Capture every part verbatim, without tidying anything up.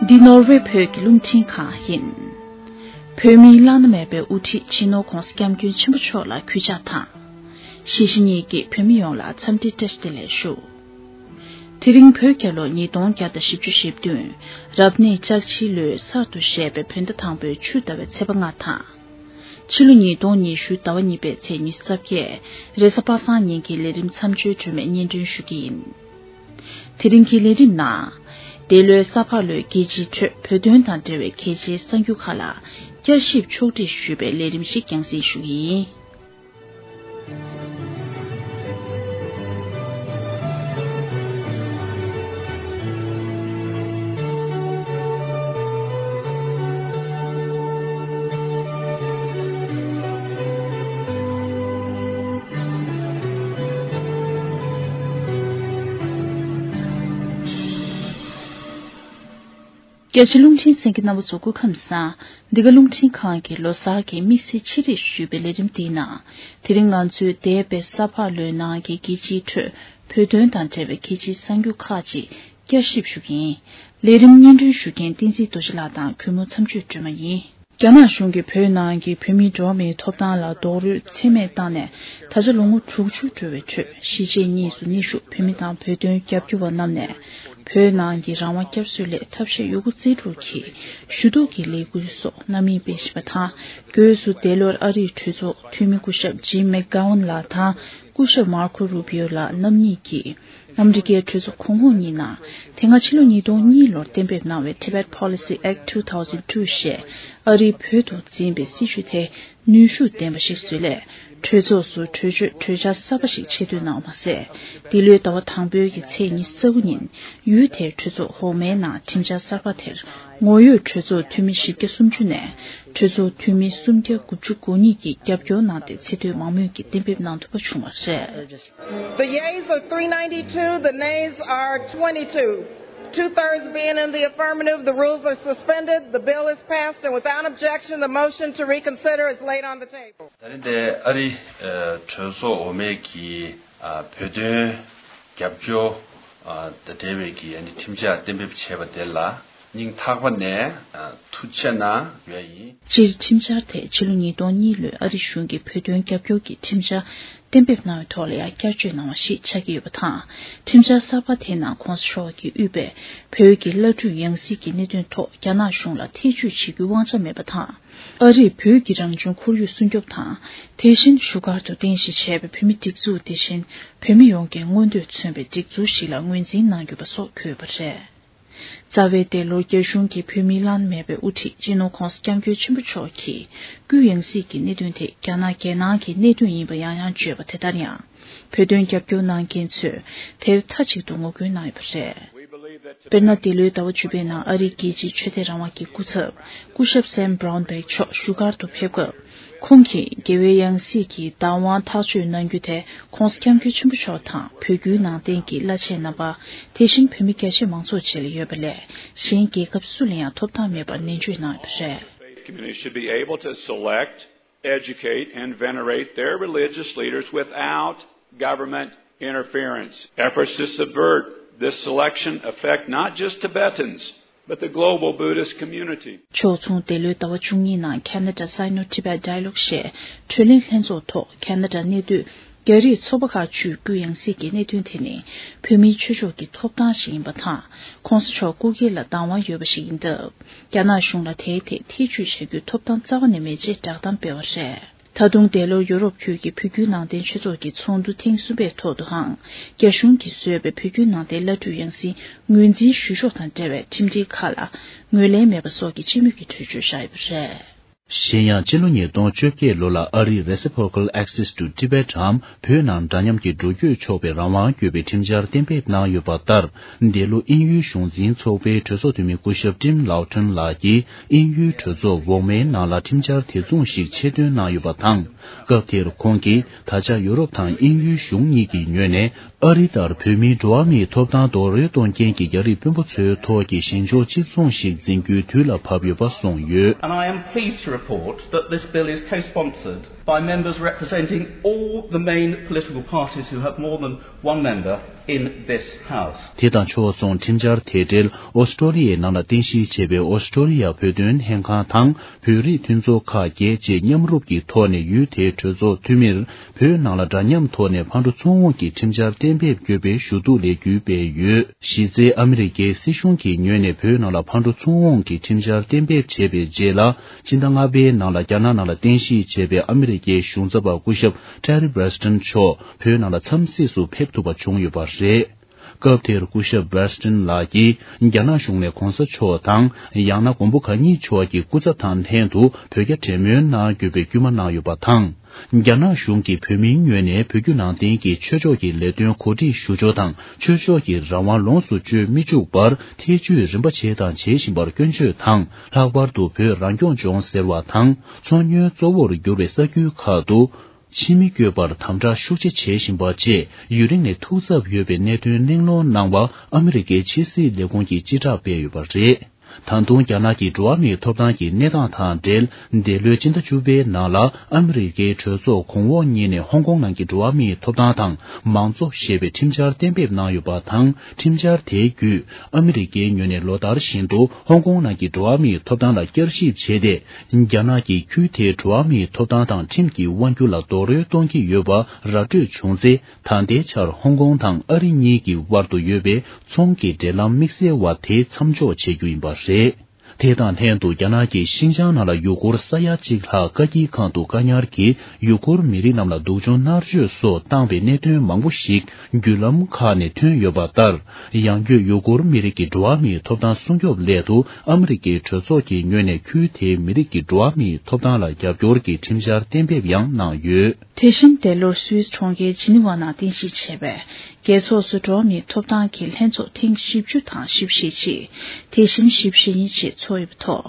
འདི་ནོར་ཝེ་བོད་ཀྱི་རླུང་འཕྲིན་ཁང་ཡིན། བོད་མིའི་བླ་ན་མེད་པའི་དབུ་ཁྲིད་སྤྱི་ནོར་༧གོང་ས་༧སྐྱབས་མགོན་ཆེན་པོ་མཆོག་ལ་གུས་ཕྱག་དང་། གཞིས་བྱེས་གཉིས་ཀྱི་བོད་མི་ཡོངས་ལ་འཚམས་འདྲི་བཀྲ་ཤིས་བདེ་ལེགས་ཞུ། དེ་རིང་བོད་རྒྱལ་ལོ་ཉིས་སྟོང་བརྒྱ་དང་བཞི་བཅུ་ཞེ་བདུན། རབ་གནས་ལྕགས་བྱི་ལོའི་གསར་དུ་བཞད་པའི་བོད་ཟླ་དང་པོའི་ཆུ་ཟླ་བའི་ཚེས་པ་ལྔ་དང་། ཕྱི་ལོ་ཉིས་སྟོང་ཉི་ཤུ་ཟླ་བ་གཉིས་པའི་ཚེས་ཉི་ཤུ་རྩ་བརྒྱད། རེས་གཟའ་པ་སངས་ཉིན་གྱི་ལས་རིམ་མཚམས་གཅོད་སྒྲོལ་མས་སྙན་སྒྲོན་ཞུ་གི་ཡིན། དེ་རིང་གི་ལས་རིམ་ནང་། འདས་ལོའི་ས་ཕག་ལོའི་རྒྱལ་སྤྱིའི་ཁྲོད་བོད་དོན་དང་འབྲེལ་བའི་གལ་ཆེའི་གསར་འགྱུར་ཁག་ལ་བསྐྱར་ཞིབ་ཕྱོགས་སྒྲིག་ཞུས་པའི་ལས་རིམ་ཞིག་རྒྱང་སྲིང་ཞུ་གི་ཡིན། རྒྱ་ཆེ་རླུང་འཕྲིན་གསན་མཁན་རྣམ་པ་ཚོ་སྐུ་ཁམས་བཟང་། འདི་ག་རླུང་འཕྲིན་ཁང་གི་ལོ་གསར་གྱི་དམིགས་བསལ་ཕྱི་རིགས་ཞུས་པའི་ལས་རིམ་འདིའི་ནང་། དེ་རིང་ང་ཚོའི་འདས་པའི་ས་ཕག་ལོའི་ནང་གི་རྒྱལ་སྤྱིའི་ཁྲོད་བོད་དོན་དང་འབྲེལ་བའི་གལ་ཆེའི་གསར་འགྱུར་ཁག་ཅིག་བསྐྱར་ཞིབ་ཞུ་གི་ཡིན། ལས་རིམ་སྙན་སྒྲོན་ཞུ་མཁན་བསྟན་འཛིན་རྡོ་རྗེ་ལགས་དང་གུས་མོ་མཚམས་གཅོད་སྒྲོལ་མ་ཡིན། རྒྱ་ནག་གཞུང་གིས་བོད་ནང་གི་བོད་མིའི་འགྲོ་བ་མིའི་ཐོབ་ཐང་ལ་རྡོག་རོལ་ཚད་མེད་བཏང་ནས་ད་ཆ་ལོ་ངོ་དྲུག་ཅུ་འགྲོ་བའི་ཁྲོད་གཞིས་བྱེས་གཉིས་སུ་གནས་བཞུགས་བོད་མི་དང་བོད་དོན་རྒྱབ་སྐྱོར་བ་རྣམས་ནས་བོད་ནང་གི་རང་དབང་བསྐྱར་གསོའི་སླད་ཐབས་ཤེས་ཡོད་རྒུ་རྩལ་སྤྲུགས་ཀྱིས་ཞུ་གཏུག་གི་ལས་འགུལ་སོགས་རྣམ་གཉིས་སྤེལ་བཞིན་པ་དང་། སྒོས་སུ་འདས་ལོར་ཨ་རིའི་གྲོས་ཚོགས་འཐུས་མི་སྐུ་ཞབས་ཇིམ་མེག་གྷ་ཝན་ལགས་དང་སྐུ་ཞབས་མར་ཁོ་རུ་བྷིའོ་ལགས་རྣམ་གཉིས་ཀྱིས། ཨ་མི་རི་ཀའི་གྲོས་ཚོགས་གོང་འོག་གཉིས་ནང་དེ་སྔ་ཕྱི་ལོ་ཉིས་སྟོང་གཉིས་ལོར་གཏན་འབེབས་གནང་བའི་Tibet Policy Act two thousand two ཞེས་ཨ་རིའི་བོད་དུ་འཛིན་པའི་སྲིད་བྱུས་དེ་ནུས་ཤུགས་ལྡན་པ་ཞིག་བཟོས་སླད་གྲོས་ཚོགས་སུ་གྲོས་ཆོད་གྲོས་འཆར་གསར་པ་ཞིག་ཆེད་བསྡུ་གནང་བ་མ་ཟད། འདི་ལོའི་ཟླ་བ་དང་པོའི་གི་ཚེས་ཉི་ཤུ་རྩ་དགུ་ཉིན་ཡུལ་དེའི་གྲོས་ཚོགས་འོག་མའི་ནང་ཁྲིམས་འཆར་གསར་པ་དེར་ངོ་ཡོད་གྲོས་ཚོགས་འཐུས་མི་བཞི་བརྒྱ་སུམ་ཅུ་ནས་གྲོས་ཚོགས་འཐུས་མི་སུམ་བརྒྱ་དགུ་བཅུ་གོ་གཉིས་ཀྱིས་རྒྱབ་སྐྱོར་གནང་སྟེ་ཚད་མཐོའི་མང་མོས་ཀྱིས་གཏན་འབེབས་གནང་ཐུབ་པ་བྱུང་བ་རེད། The yeas are three ninety-two, the nays are twenty-two. Two-thirds being in the affirmative, the rules are suspended, the bill is passed, and without objection, the motion to reconsider is laid on the table. ད་རིང་འདིར་ཨ་རི་གྲོས་ཚོགས་འོག་མའི་གི་བོད་དོན་རྒྱབ་སྐྱོར་དང་འབྲེལ་བའི་གི་ཁྲིམས་འཆར་གཏན་འབེབས་བྱས་པ་དེ་ལ། སྙིང་ཐག་པ་ནས་ཐུགས་རྗེ་གནང་ཡོད་ཡིན། སྤྱིར་ཁྲིམས་འཆར་དེ་ཕྱི་ལོ་ཉིས་སྟོང་གཉིས་ལོའི་ཨ་རི་གཞུང་གིས་བོད་དོན་རྒྱབ་སྐྱོར་གྱི་ཁྲིམས་འཆར་གཏན་འབེབས་གནང་བའི་ཐོག་ལ་ཡང་བསྐྱར་བཅོས་གནང་བ་ཞིག་ཆགས་ཀྱི་ཡོད་པ་དང་། ཁྲིམས་འཆར་གསར་པ་དེའི་ནང་གོང་ས་མཆོག་གིས་དབུས་པའི་བོད་ཀྱི་བླ་སྤྲུལ་ཡང་སྲིད་ཀྱི་གནད་དོན་ཐོག་རྒྱ་ནག་གཞུང་ལ་ཐེ་ཇུས་བྱེད་རྒྱུའི་དབང་ཆ་མེད་པ་དང་། ཨ་རིས་བོད་ཀྱི་རང་བྱུང་ཁོར་ཡུག་སྲུང་སྐྱོབ་དང་། དེ་བཞིན་བཞུགས་སྒར་དུ་རྟེན་གཞི་བྱས་པའི་བོད་མི་སྒྲིག་འཛུགས་དེ་བཞིན་བོད་མི་ཡོངས་ཀྱི་མངོན་འདོད་མཚོན་པའི་སྒྲིག་འཛུགས་ཤིག་ལ་ངོས་འཛིན་གནང་དགོས་པ་སོགས་འཁོད་ཡོད་པ་རེད། རྩ་བའི་འདས་ལོར་རྒྱ་གཞུང་གིས་བོད་མིའི་བླ་ན་མེད་པའི་དབུ་ཁྲིད་སྤྱི་ནོར་༧གོང་ས་༧སྐྱབས་མགོན་ཆེན་པོ་མཆོག་གི་སྐུའི་ཡང་སྲིད་ཀྱི་གནད་དོན་དེ་རྒྱ་ནག་རྒྱལ་ནང་གི་གནད་དོན་ཡིན་པ་ཡང་ཡང་བརྗོད་པ་དེ་ལྟར་ཡང་། བོད་དོན་རྒྱབ་སྐྱོར་གནང་མཁན་ཚོས་དེར་མཐའ་གཅིག་ཏུ་ངོ་རྒོལ་གནང་ཡོད་པ་རེད། དཔེར་ན། འདི་ལོའི་ཟླ་བ་བཅུ་པའི་ནང་ཨ་རིའི་རྒྱལ་སྤྱིའི་ཆོས་དད་རང་དབང་གི་སྐུ་ཚབ་སྐུ་ཞབས་Sam Brownback་མཆོག་བཞུགས་སྒར་དུ་ཕེབས་སྐབས། ཁོང་གིས་རྒྱལ་བའི་ཡང་སྲིད་ཀྱི་བདག་དབང་ཐག་གཅོད་གནང་རྒྱུ་དེ་༧གོང་ས་༧སྐྱབས་མགོན་ཆེན་པོ་མཆོག་དང་བོད་བརྒྱུད་ནང་བསྟན་གྱི་བླ་ཆེན་རྣམ་པ། དེ་བཞིན་བོད་མི་རྒྱ་ཆེ་མང་ཚོགས་བཅས་ལ་ཡོད་པ་ལས་གཞན་རྒྱལ་ཁབ་སུ་ལ་ཡང་ཐོབ་ཐང་མེད་པར་ནན་བརྗོད་གནང་ཡོད་པ་རེད། Faith community should be able to select, educate, and venerate their religious leaders without government interference. Efforts to subvert this selection affect not just Tibetans, but the global Buddhist community. ཕྱོགས་མཚུངས། འདས་ལོའི་ཟླ་བ་བཅུ་གཉིས་ནང་Canada Sino-Tibet Dialogue་ཞེས་གྲོས་གླེང་ལྷན་ཚོགས་ཐོག་ཁ་ན་ཌ་གནས་སྡོད་རྒྱ་རིགས་ཚོགས་པ་ཁག་བཅུས་སྐུའི་ཡང་སྲིད་ཀྱི་གནད་དོན་དེ་ནི་བོད་མིའི་ཆོས་ཕྱོགས་ཀྱི་ཐོབ་ཐང་ཞིག་ཡིན་པ་དང་། ྋགོང་ས་མཆོག་སྐུ་སྒེར་ལ་བདག་དབང་ཡོད་པ་ཞིག་ཡིན་སྟབས། རྒྱ་ནག་གཞུང་ལ་དེའི་ཐད་ཐེ་ཇུས་བྱ་རྒྱུའི་ཐོབ་ཐང་རྩ་བ་ནས་མེད་ཅེས་བསྒྲགས་གཏམ་སྤེལ་བ་རེད། ད་དུང་འདས་ལོར་ཡོ་རོབ་ཁུལ་གྱི་བོད་བརྒྱུད་ནང་བསྟན་ཆོས་ཚོགས་ཀྱི་ཚོགས་འདུ་ཐེངས་གསུམ་པའི་ཐོག་ཏུའང་། རྒྱ་གཞུང་གིས་བཟོས་པའི་བོད་བརྒྱུད་ནང་བསྟན་བླ་སྤྲུལ་ཡང་སྲིད་ངོས་འཛིན་ཞུ་ཕྱོགས་དང་འབྲེལ་བའི་ཁྲིམས་སྒྲིག་ཁག་ལ་ངོས་ལེན་མེད་པ་སོགས་ཀྱི་སྤྱི་མོས་ཀྱི་གྲོས་ཆོད་བཞག་ཡོད་པ་རེད། གཞན་ཡང་། ཕྱི་ལོ་ཉིས་སྟོང་བཅོ་བརྒྱད་ལོ་ལ་ཨ་རིས་Reciprocal Access to Tibet འམ་བོད་ནང་འདྲ་མཉམ་གྱི་འགྲོ་སྐྱོད་ཆོག་པའི་རང་དབང་དགོས་པའི་ཁྲིམས་འཆར་གཏན་འབེབས་གནང་ཡོད་པ་ལྟར། འདས་ལོ་དབྱིན་ཡུལ་གཞུང་འཛིན་ཚོགས་པའི་གྲོས་ཚོགས་འཐུས་མི་སྐུ་ཞབས་Tim Loughton་ལགས་ཀྱིས་དབྱིན་ཡུལ་གྲོས་ཚོགས་འོག་མའི་ནང་ལ་ཁྲིམས་འཆར་དེ་མཚུངས་ཤིག་ཆེད་འདོན་གནང་ཡོད་པ་དང་། སྐབས་དེར་ཁོང་གིས་ད་ཆ་ཡོ་རོབ་དང་དབྱིན་ཡུལ་གཞུང་གཉིས་ཀྱི་ངོས་ནས་ཨ་རི་ལྟར་བོད་མིའི་འགྲོ་བ་མིའི་ཐོབ་ཐང་རྡོག་རོལ་གཏོང་མཁན་གྱི་རྒྱ་རིགས་དཔོན་པོ་ཚོའི་ཐོག་གི་ཞི་འཇགས་གཅིག་མཚུངས་ཤིག་འཛིན་རྒྱུའི་དུས་ལ་བབ་ཡོད་པ་གསུངས་ཡོད། And I am pleased to report that this bill is co-sponsored by members representing all the main political parties who have more than one member in this House. དེ་དང་ཕྱོགས་མཚུངས་ཁྲིམས་འཆར་དེ་འབྲེལ་ཨོ་སི་ཀྲོ་ལི་ཡའི་ནང་ལ་རྟེན་གཞི་བྱས་པའི་ཨོ་སི་ཀྲོ་ལི་ཡ་བོད་དོན་ལྷན་ཁང་དང་བོད་རིགས་མཐུན་ཚོགས་ཁག་བརྒྱད་བཅས་མཉམ་རུབ་ཀྱི་ཐོག་ནས་ཡུལ་དེའི་གྲོས་ཚོགས་འཐུས་མིར་བོད་ནང་ལ་འདྲ་མཉམ་ཐོག་ནས་ཕར་འགྲོ་ཚུར་འོང་གི་ཁྲིམས་འཆར་གཏན་འབེབས་དགོས་པའི་ཞུ་གཏུག་ལས་འགུལ་སྤེལ་ཡོད། གཞི་རྩའི་ཨ་མི་རི་ཀའི་སྲིད་གཞུང་གི་ངོས་ནས་བོད་ནང་ལ་ཕར་འགྲོ་ཚུར་འོང་གི་ཁྲིམས་འཆར་གཏན་འབེབས་བྱས་པའི་རྗེས་ལ། ཕྱི་ཟླ་ལྔ་པའི་ནང་ལ་རྒྱ་ནག་ནང་ལ་རྟེན་གཞི་བྱས་པའི་ཨ་མི་རི་ཀའི་གཞུང་ཚབ་པ་སྐུ་ཞབས་Terry Branstad་མཆོག་བོད་ནང་ལ་འཚམས་གཟིགས་སུ་ཕེབས་ཐུབ་པ་བྱུང་ཡོད་པ་རེད། སྐབས་དེར་སྐུ་ཞབས་Branstad་ལགས་ཀྱིས་རྒྱ་ནག་གཞུང་ནས་གོང་ས་མཆོག་དང་ཡང་ན་མགོན་པོ་གང་ཉིད་མཆོག་གི་སྐུ་ཚབ་དང་ལྷན་དུ་བོད་རྒྱ་འབྲེལ་མོལ་གནང་དགོས་པའི་སྐུལ་མ་གནང་ཡོད་པ་དང་། རྒྱ་ནག་གཞུང་གིས་བོད་མིའི་ངོས་ནས་བོད་བརྒྱུད་ནང་བསྟན་གྱི་ཆོས་ཕྱོགས་ཀྱི་ལས་དོན་གོ་སྒྲིག་ཞུ་ཕྱོགས་དང་ཆོས་ཕྱོགས་ཀྱི་རང་དབང་ལོངས་སུ་སྤྱོད་མི་བཅུག་པར་ཐེ་བྱུས་རིམ་པ་བྱས་དང་བྱེད་བཞིན་པར་སྐྱོན་བརྗོད་དང་། ལྷག་པར་དུ་བོད་རང་སྐྱོང་ལྗོངས་ཟེར་བ་དང་མཚོ་སྔོན་གཙོ་བོར་གྱུར་པའི་ས་ཁུལ་ཁག་ཏུ་ཕྱི་མི་བསྐྱོད་པར་དམ་དྲག་ཤུགས་ཆེ་བྱེད་བཞིན་པ་བཅས་ཡུན་རིང་ནས་ཐུགས་འཚབ་ཡོད་པའི་གནད་དོན་གླེང་སློང་གནང་བ་ཨ་མི་རི་ཀའི་ཕྱི་སྲིད་ལས་ཁུངས་ཀྱིས་སྤྱི་བསྒྲགས་སྤེལ་ཡོད་པ་རེད། ད་དུང་རྒྱ་ནག་གི་འགྲོ་བ་མིའི་ཐོབ་ཐང་གི་གནས་སྟངས་དང་འབྲེལ། འདས་ལོའི་སྤྱི་ཟླ་བཅུ་པའི་ནང་ལ་ཨ་མི་རི་ཀའི་གྲོས་ཚོགས་གོང་འོག་གཉིས་ནས་ཧོང་ཀོང་ནང་གི་འགྲོ་བ་མིའི་ཐོབ་ཐང་དང་མང་གཙོ་ཞེས་པའི་ཁྲིམས་འཆར་གཏན་འབེབས་གནང་ཡོད་པ་དང་། ཁྲིམས་འཆར་དེའི་བརྒྱུད་ཨ་མི་རི་ཀའི་ངོས་ནས་ལོ་ལྟར་བཞིན་དུ་ཧོང་ཀོང་ནང་གི་འགྲོ་བ་མིའི་ཐོབ་ཐང་ལ་བསྐྱར་ཞིབ་བྱས་ཏེ། རྒྱ་ནག་གིས་ཁུལ་དེའི་འགྲོ་བ་མིའི་ཐོབ་ཐང་དང་ཁྲིམས་ཀྱི་དབང་སྒྱུར་ལ་རྡོག་རོལ་གཏོང་གི་ཡོད་པ་ར་སྤྲོད་བྱུང་ཚེ། ད་ལྟའི་ཆར་ཧོང་ཀོང་དང་ཨ་རི་གཉིས་ཀྱི་དབར་དུ་ཡོད་པའི་ཚོང་གི་འབྲེལ་ལམ་དམིགས་བསལ་བ་དེ་མཚམས་འཇོག་བྱེད་རྒྱུ་ཡིན་པ་རེད། དེ་དང་ལྷན་དུ་རྒྱ་ནག་གིས་ཤིན་ཅང་ནང་ལ་ཡུ་གུར་ས་ཡ་གཅིག་ལྷག་བཀག་སྐྱིལ་ཁང་དུ་བཀག་ཉར་གྱིས་ཡུ་གུར་མི་རིགས་རྣམས་ལ་སྡུག་སྦྱོང་མནར་གཅོད་སོགས་བཏང་བའི་གནད་དོན་མང་པོ་ཞིག་བརྒྱུད་ལམ་ཁག་ནས་ཐོན་ཡོད་པ་ལྟར། ཡང་སྒོས་ཡུ་གུར་མི་རིགས་ཀྱི་འགྲོ་བ་མིའི་ཐོབ་ཐང་སྲུང་སྐྱོབ་སླད་དུ་ཨ་མི་རི་ཀའི་གྲོས་ཚོགས་ཀྱི་ངོས་ནས་ཁུལ་དེའི་མི་རིགས་ཀྱི་འགྲོ་བ་མིའི་ཐོབ་ཐང་ལ་རྒྱབ་སྐྱོར་གྱི་ཁྲིམས་འཆར་གཏན་འབེབས་ཡང་གནང་ཡོད། དེ་བཞིན་འདས་ལོར་སུད་སི་གྲོང་ཁྱེར་ཇི་ནི་ཝ་ནང་རྟེན་གཞི་བྱས་པའི་རྒྱལ་ཚོགས་སུ་འགྲོ་བ་མིའི་ཐོབ་ཐང་གི་ལྷན་ཚོགས་ཐེངས་བཞི་བཅུ་དང་བཞི་བཅུ་ཞེ་གཅིག་དེ་བཞིན་བཞི་བཅུ་ཞེ་གཉིས་བཅས་ཚོགས་ཡོད་པའི་ཐོག་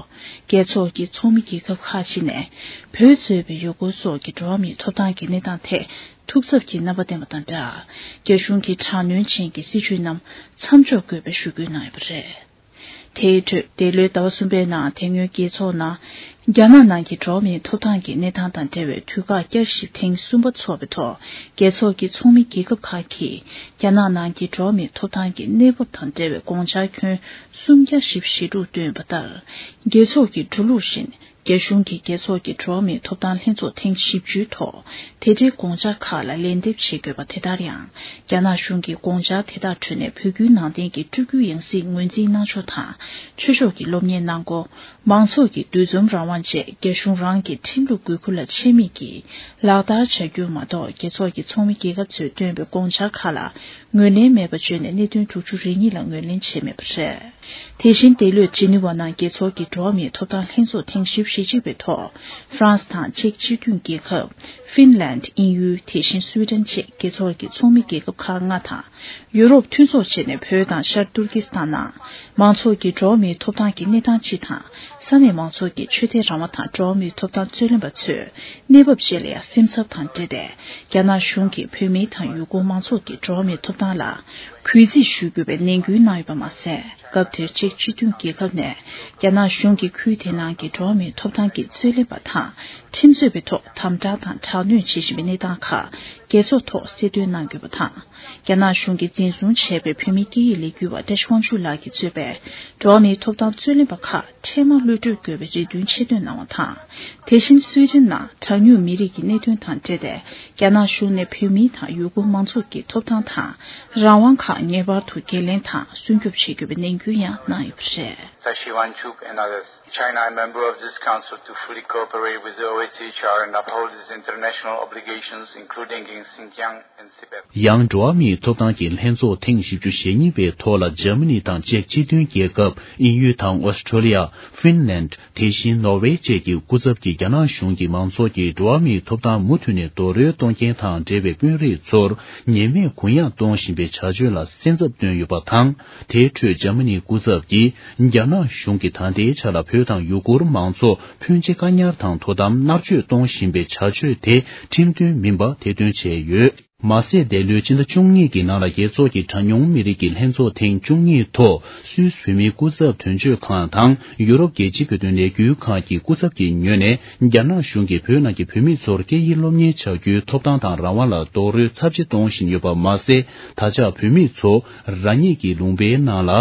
རྒྱལ་ཚོགས་ཀྱི་ཚོགས་མི་རྒྱལ་ཁབ་ཁག་ཅིག་ནས་བོད་གཙོས་པའི་ཡུ་གུར་སོགས་ཀྱི་འགྲོ་བ་མིའི་ཐོབ་ཐང་གི་གནས་སྟངས་ཐད་ཐུགས་འཚབ་ཀྱི་རྣམ་པ་བསྟན་པ་དང་སྦྲགས། རྒྱ་གཞུང་གི་དྲག་གནོན་ཅན་གྱི་སྲིད་བྱུས་རྣམས་མཚམས་འཇོག་དགོས་པའི་ཞུ་སྐུལ་གནང་ཡོད་པ་རེད། དེའི་ཁྲོད་འདས་ལོའི་ཟླ་བ་གསུམ་པའི་ནང་དེ་སྔོན་རྒྱལ་ཚོགས་ནང་རྒྱ་ནག་ནང་གི་འགྲོ་བ་མིའི་ཐོབ་ཐང་གི་གནས་སྟངས་དང་འབྲེལ་བའི་དུས་བཀག་བསྐྱར་ཞིབ་ཐེངས་གསུམ་པ་འཚོགས་པའི་ཐོག་རྒྱལ་ཚོགས་ཀྱི་ཚོགས་མི་རྒྱལ་ཁབ་ཁག་གིས་རྒྱ་ནག་ནང་གི་འགྲོ་བ་མིའི་ཐོབ་ཐང་གི་གནས་བབ་དང་འབྲེལ་བའི་དགོངས་འཆར་ཁྱོན་གསུམ་བརྒྱ་བཞི་བཅུ་ཞེ་དྲུག་བཏོན་ཡོད་པ་ལྟར། རྒྱལ་ཚོགས་ཀྱི་འགྲོ་ལུགས་བཞིན། རྒྱ་གཞུང་གིས་རྒྱལ་ཚོགས་ཀྱི་འགྲོ་བ་མིའི་ཐོབ་ཐང་ལྷན་ཚོགས་ཐེངས་བཞི་བཅུའི་ཐོག་དེ་འབྲེལ་དགོངས་འཆར་ཁག་ལ་ལན་འདེབས་བྱེད་དགོས་པ་དེ་ལྟར་ཡང་། རྒྱ་ནག་གཞུང་གིས་དགོངས་འཆར་དེ་དག་ཁྲོད་ནས་བོད་བརྒྱུད་ནང་བསྟན་གྱི་སྤྲུལ་སྐུའི་ཡང་སྲིད་ངོས་འཛིན་གནང་ཕྱོགས་དང་། ཆོས་ཕྱོགས་ཀྱི་སློབ་གཉེར་གནང་སྒོ། མང་ཚོགས་ཀྱི་འདུ་འཛོམས་རང་དབང་བཅས་རྒྱ་གཞུང་རང་གི་ཁྲིམས་ལུགས་དགོས་མཁོ་ལ་ཆད་མེད་ཀྱིས་ལག་བསྟར་བྱ་རྒྱུ་མ་གཏོགས། རྒྱལ་ཚོགས་ཀྱི་ཚོགས་མི་རྒྱལ་ཁབ་ཚོས་བཏོན་པའི་དགོངས་འཆར་ཁག་ལ་ངོས་ལེན་མེད་པ་བརྗོད་ནས་གནད་དོན་དྲུག་ཅུ་རེ་གཉིས་ལ་ངོས་ལེན་བྱས་མེད་པ་རེད། དེ་བཞིན་འདས་ལོའི་ཇི་ནི་ཝ་ནང་རྒྱལ་ཚོགས་ཀྱི་འགྲོ་བ་མིའི་ཐོབ་ཐང་ལྷན་ཚོགས་ཐེངས་བཞི་བཅུ་ཞེ་གཅིག་པའི་ཐོག་ཧྥ་རན་སི་དང་ཅེཀ་སྤྱི་མཐུན་རྒྱལ་ཁབ། ཧྥིན་ལན། དབྱིན་ཡུལ། དེ་བཞིན་སུའེ་ཏན་བཅས་རྒྱལ་ཚོགས་ཀྱི་ཚོགས་མི་རྒྱལ་ཁབ་ཁག་ལྔ་དང་། ཡུ་རོབ་མཐུན་ཚོགས་བཅས་ནས་བོད་དང་ཤར་ཏུར་ཀི་སི་ཐན་ནང་མང་ཚོགས་ཀྱི་འགྲོ་བ་མིའི་ཐོབ་ཐང་གི་གནས་སྟངས་སྤྱི་དང་། ས་གནས་མང་ཚོགས་ཀྱི་ཆོས་དད་རང་དབང་དང་འགྲོ་བ་མིའི་ཐོབ་ཐང་རྩོད་ལེན་པ་ཚོས་གནས་བབ་བཅས་ལ་ཡང་སེམས་འཚབ་དང་འབྲེལ་ཏེ། རྒྱ་ནག་གཞུང་གིས་བོད་མི་དང་ཡུ་གུར་མང་ཚོགས་ཀྱི་འགྲོ་བ་མིའི་ཐོབ་ཐང་ལ་གུས་བརྩི་ཞུ་དགོས་པའི་ནན་སྐུལ་གནང་ཡོད་པ་མ་ཟད། སྐབས་དེར་ཅེཀ་སྤྱི་མཐུན་རྒྱལ་ཁབ་ནས་རྒྱ་ནག་གཞུང་གིས་ཁུལ་དེ་ནང་གི་འགྲོ་བ་མིའི་ཐོབ་ཐང་གི་རྩོད་ལེན་པ་དང་ཁྲིམས་རྩོད་པའི་ཐོག་དམ་དྲག་དང་དྲག་གནོན་བྱེད་བཞིན་པའི་གནས་སྟངས་ཁག་རྒྱལ་ཚོགས་ཐོག་གསལ་སྟོན་གནང་དགོས་པ་དང་། རྒྱ་ནག་གཞུང་གིས་འཛིན་བཟུང་བྱས་པའི་བོད་མིའི་སྐད་ཡིག་ལས་འགུལ་བ་བཀྲ་ཤིས་དབང་ཕྱུག་ལགས་ཀྱིས་གཙོས་པའི་འགྲོ་བ་མིའི་ཐོབ་ཐང་རྩོད་ལེན་པ་ཁག་འཕྲལ་མར་གློད་གྲོལ་དགོས་པའི་རེ་འདུན་ཆེ་བཏོན་གནང་བ་དང་། དེ་བཞིན་སུའེ་ཏེན་ནང་གྲངས་ཉུང་མི་རིགས་ཀྱི་གནད་དོན་དང་འབྲེལ་ཏེ། རྒྱ་ནག་གཞུང་ནས་བོད་མི་དང་ཡུ་གུར་མང་ཚོགས་ཀྱི་ཐོབ་ཐང་དང་རང་དབང་ཁག་ངེས་པར་དུ་འགན་ལེན་དང་སྲུང་སྐྱོབ་བྱེད་དགོས་པའི་ནན་སྐུལ་ཡང་གནང་ཡོད་པ་རེད། Tashi Wanchuk and others. China, a member of this council, to fully cooperate with the O H C H R and uphold its international obligations, including in Xinjiang and Tibet. ཡང་འགྲོ་བ་མིའི་ཐོབ་ཐང་གི་ལྷན་ཚོགས་ཐེངས་བཞི་བཅུ་ཞེ་གཉིས་པའི་ཐོག་ལ་འཇར་མ་ནི་དང་ཅེཀ་སྤྱི་མཐུན་རྒྱལ་ཁབ། དབྱིན་ཡུལ་དང་ཨོ་སི་ཁྲོ་ལི་ཡ། ཧྥིན་ལན། དེ་བཞིན་ནོར་ཝེ་བཅས་ཀྱི་སྐུ་ཚབ་ཀྱིས་རྒྱ་ནག་གཞུང་གིས་མང་ཚོགས་ཀྱི་འགྲོ་བ་མིའི་ཐོབ་ཐང་མུ་མཐུད་ནས་རྡོག་རོལ་གཏོང་མཁན་དང་འབྲེལ་བའི་དཔོན་རིགས་ཚོར་ཉེས་མེད་གུ་ཡངས་གཏོང་བཞིན་པའི་བྱ་སྤྱོད་ལ་སེམས་འཚབ་བཏོན་ཡོད་པ་དང་། དེའི་ཁྲོད་འཇར་མ་ནིའི་སྐུ་ཚབ་ཀྱིས་རྒྱ་ནག་གཞུང་གིས་ད་ལྟའི་ཆ་ལ་བོད་དང་ཡུ་གུར་མང་ཚོགས་ཕོན་ཆེ་བཀག་ཉར་དང་དོ་དམ་མནར་གཅོད་གཏོང་བཞིན་པའི་བྱ་སྤྱོད་དེ་ཁྲིམས་མཐུན་མིན་པ་ཐེར་འདོན་བྱས་ཡོད། མ་ཟད། འདས་ལོའི་ཕྱི་ཟླ་བཅུ་གཉིས་ཀྱི་ནང་ལ་རྒྱལ་ཚོགས་ཀྱི་གྲངས་ཉུང་མི་རིགས་ཀྱི་ལྷན་ཚོགས་ཐེངས་བཅུ་གཉིས་ཐོག་སུད་སི་བོད་མིའི་སྐུ་ཚབ་དོན་གཅོད་ཁང་དང་ཡུ་རོབ་རྒྱལ་སྤྱིའི་བོད་དོན་ལས་འགུལ་ཁང་གི་སྐུ་ཚབ་ཀྱི་ངོས་ནས། རྒྱ་ནག་གཞུང་གིས་བོད་ནང་གི་བོད་མི་ཚོར་སྐད་ཡིག་སློབ་གཉེར་བྱ་རྒྱུའི་ཐོབ་ཐང་དང་རང་དབང་ལ་རྡོག་རོལ་ཚབས་ཆེ་གཏོང་བཞིན་ཡོད་པ་མ་ཟད། ད་ཆ་བོད་མི་ཚོ་རང་ཉིད་ཀྱི་ལུང་པའི་ནང་ལ་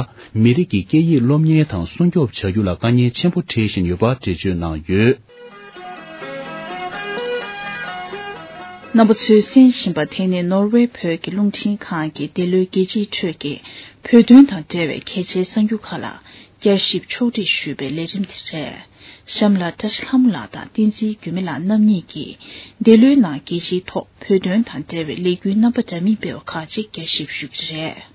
མི་རིགས་ཀྱི་སྐད་ཡིག་སློབ་གཉེར་དང་སྲུང་སྐྱོབ་བྱ་རྒྱུ་ལ་དཀའ་ངལ་ཆེན་པོ་འཕྲད་བཞིན་ཡོད་པ་འགྲེལ་བརྗོད་གནང་ཡོད། རྣམ་པ་ཚོས་གསན་བཞིན་པ་དེ་ནི་ནོར་ཝེ་བོད་ཀྱི་རླུང་འཕྲིན་ཁང་གིས་འདི་ལོའི་རྒྱལ་སྤྱིའི་ཁྲོད་ཀྱི་བོད་དོན་དང་འབྲེལ་བའི་གལ་ཆེའི་གསར་འགྱུར་ཁག་ལ་བསྐྱར་ཞིབ་ཕྱོགས་སྒྲིག་ཞུས་པའི་ལས་རིམ་དེ་རེད། གཤམ་ལ་བཀྲ་ཤིས་ལྷ་མོ་ལགས་དང་བསྟན་འཛིན་འགྱུར་མེད་ལགས་རྣམ་གཉིས་ཀྱིས་འདི་ལོའི་ནང་རྒྱལ་སྤྱིའི་ཐོག་བོད་དོན་དང་འབྲེལ་བའི་ལས་འགུལ་རྣམ་པ་འདྲ་མིན་སྤེལ་བ་ཁག་ཅིག་བསྐྱར་ཞིབ་ཞུ་རྒྱུ་རེད།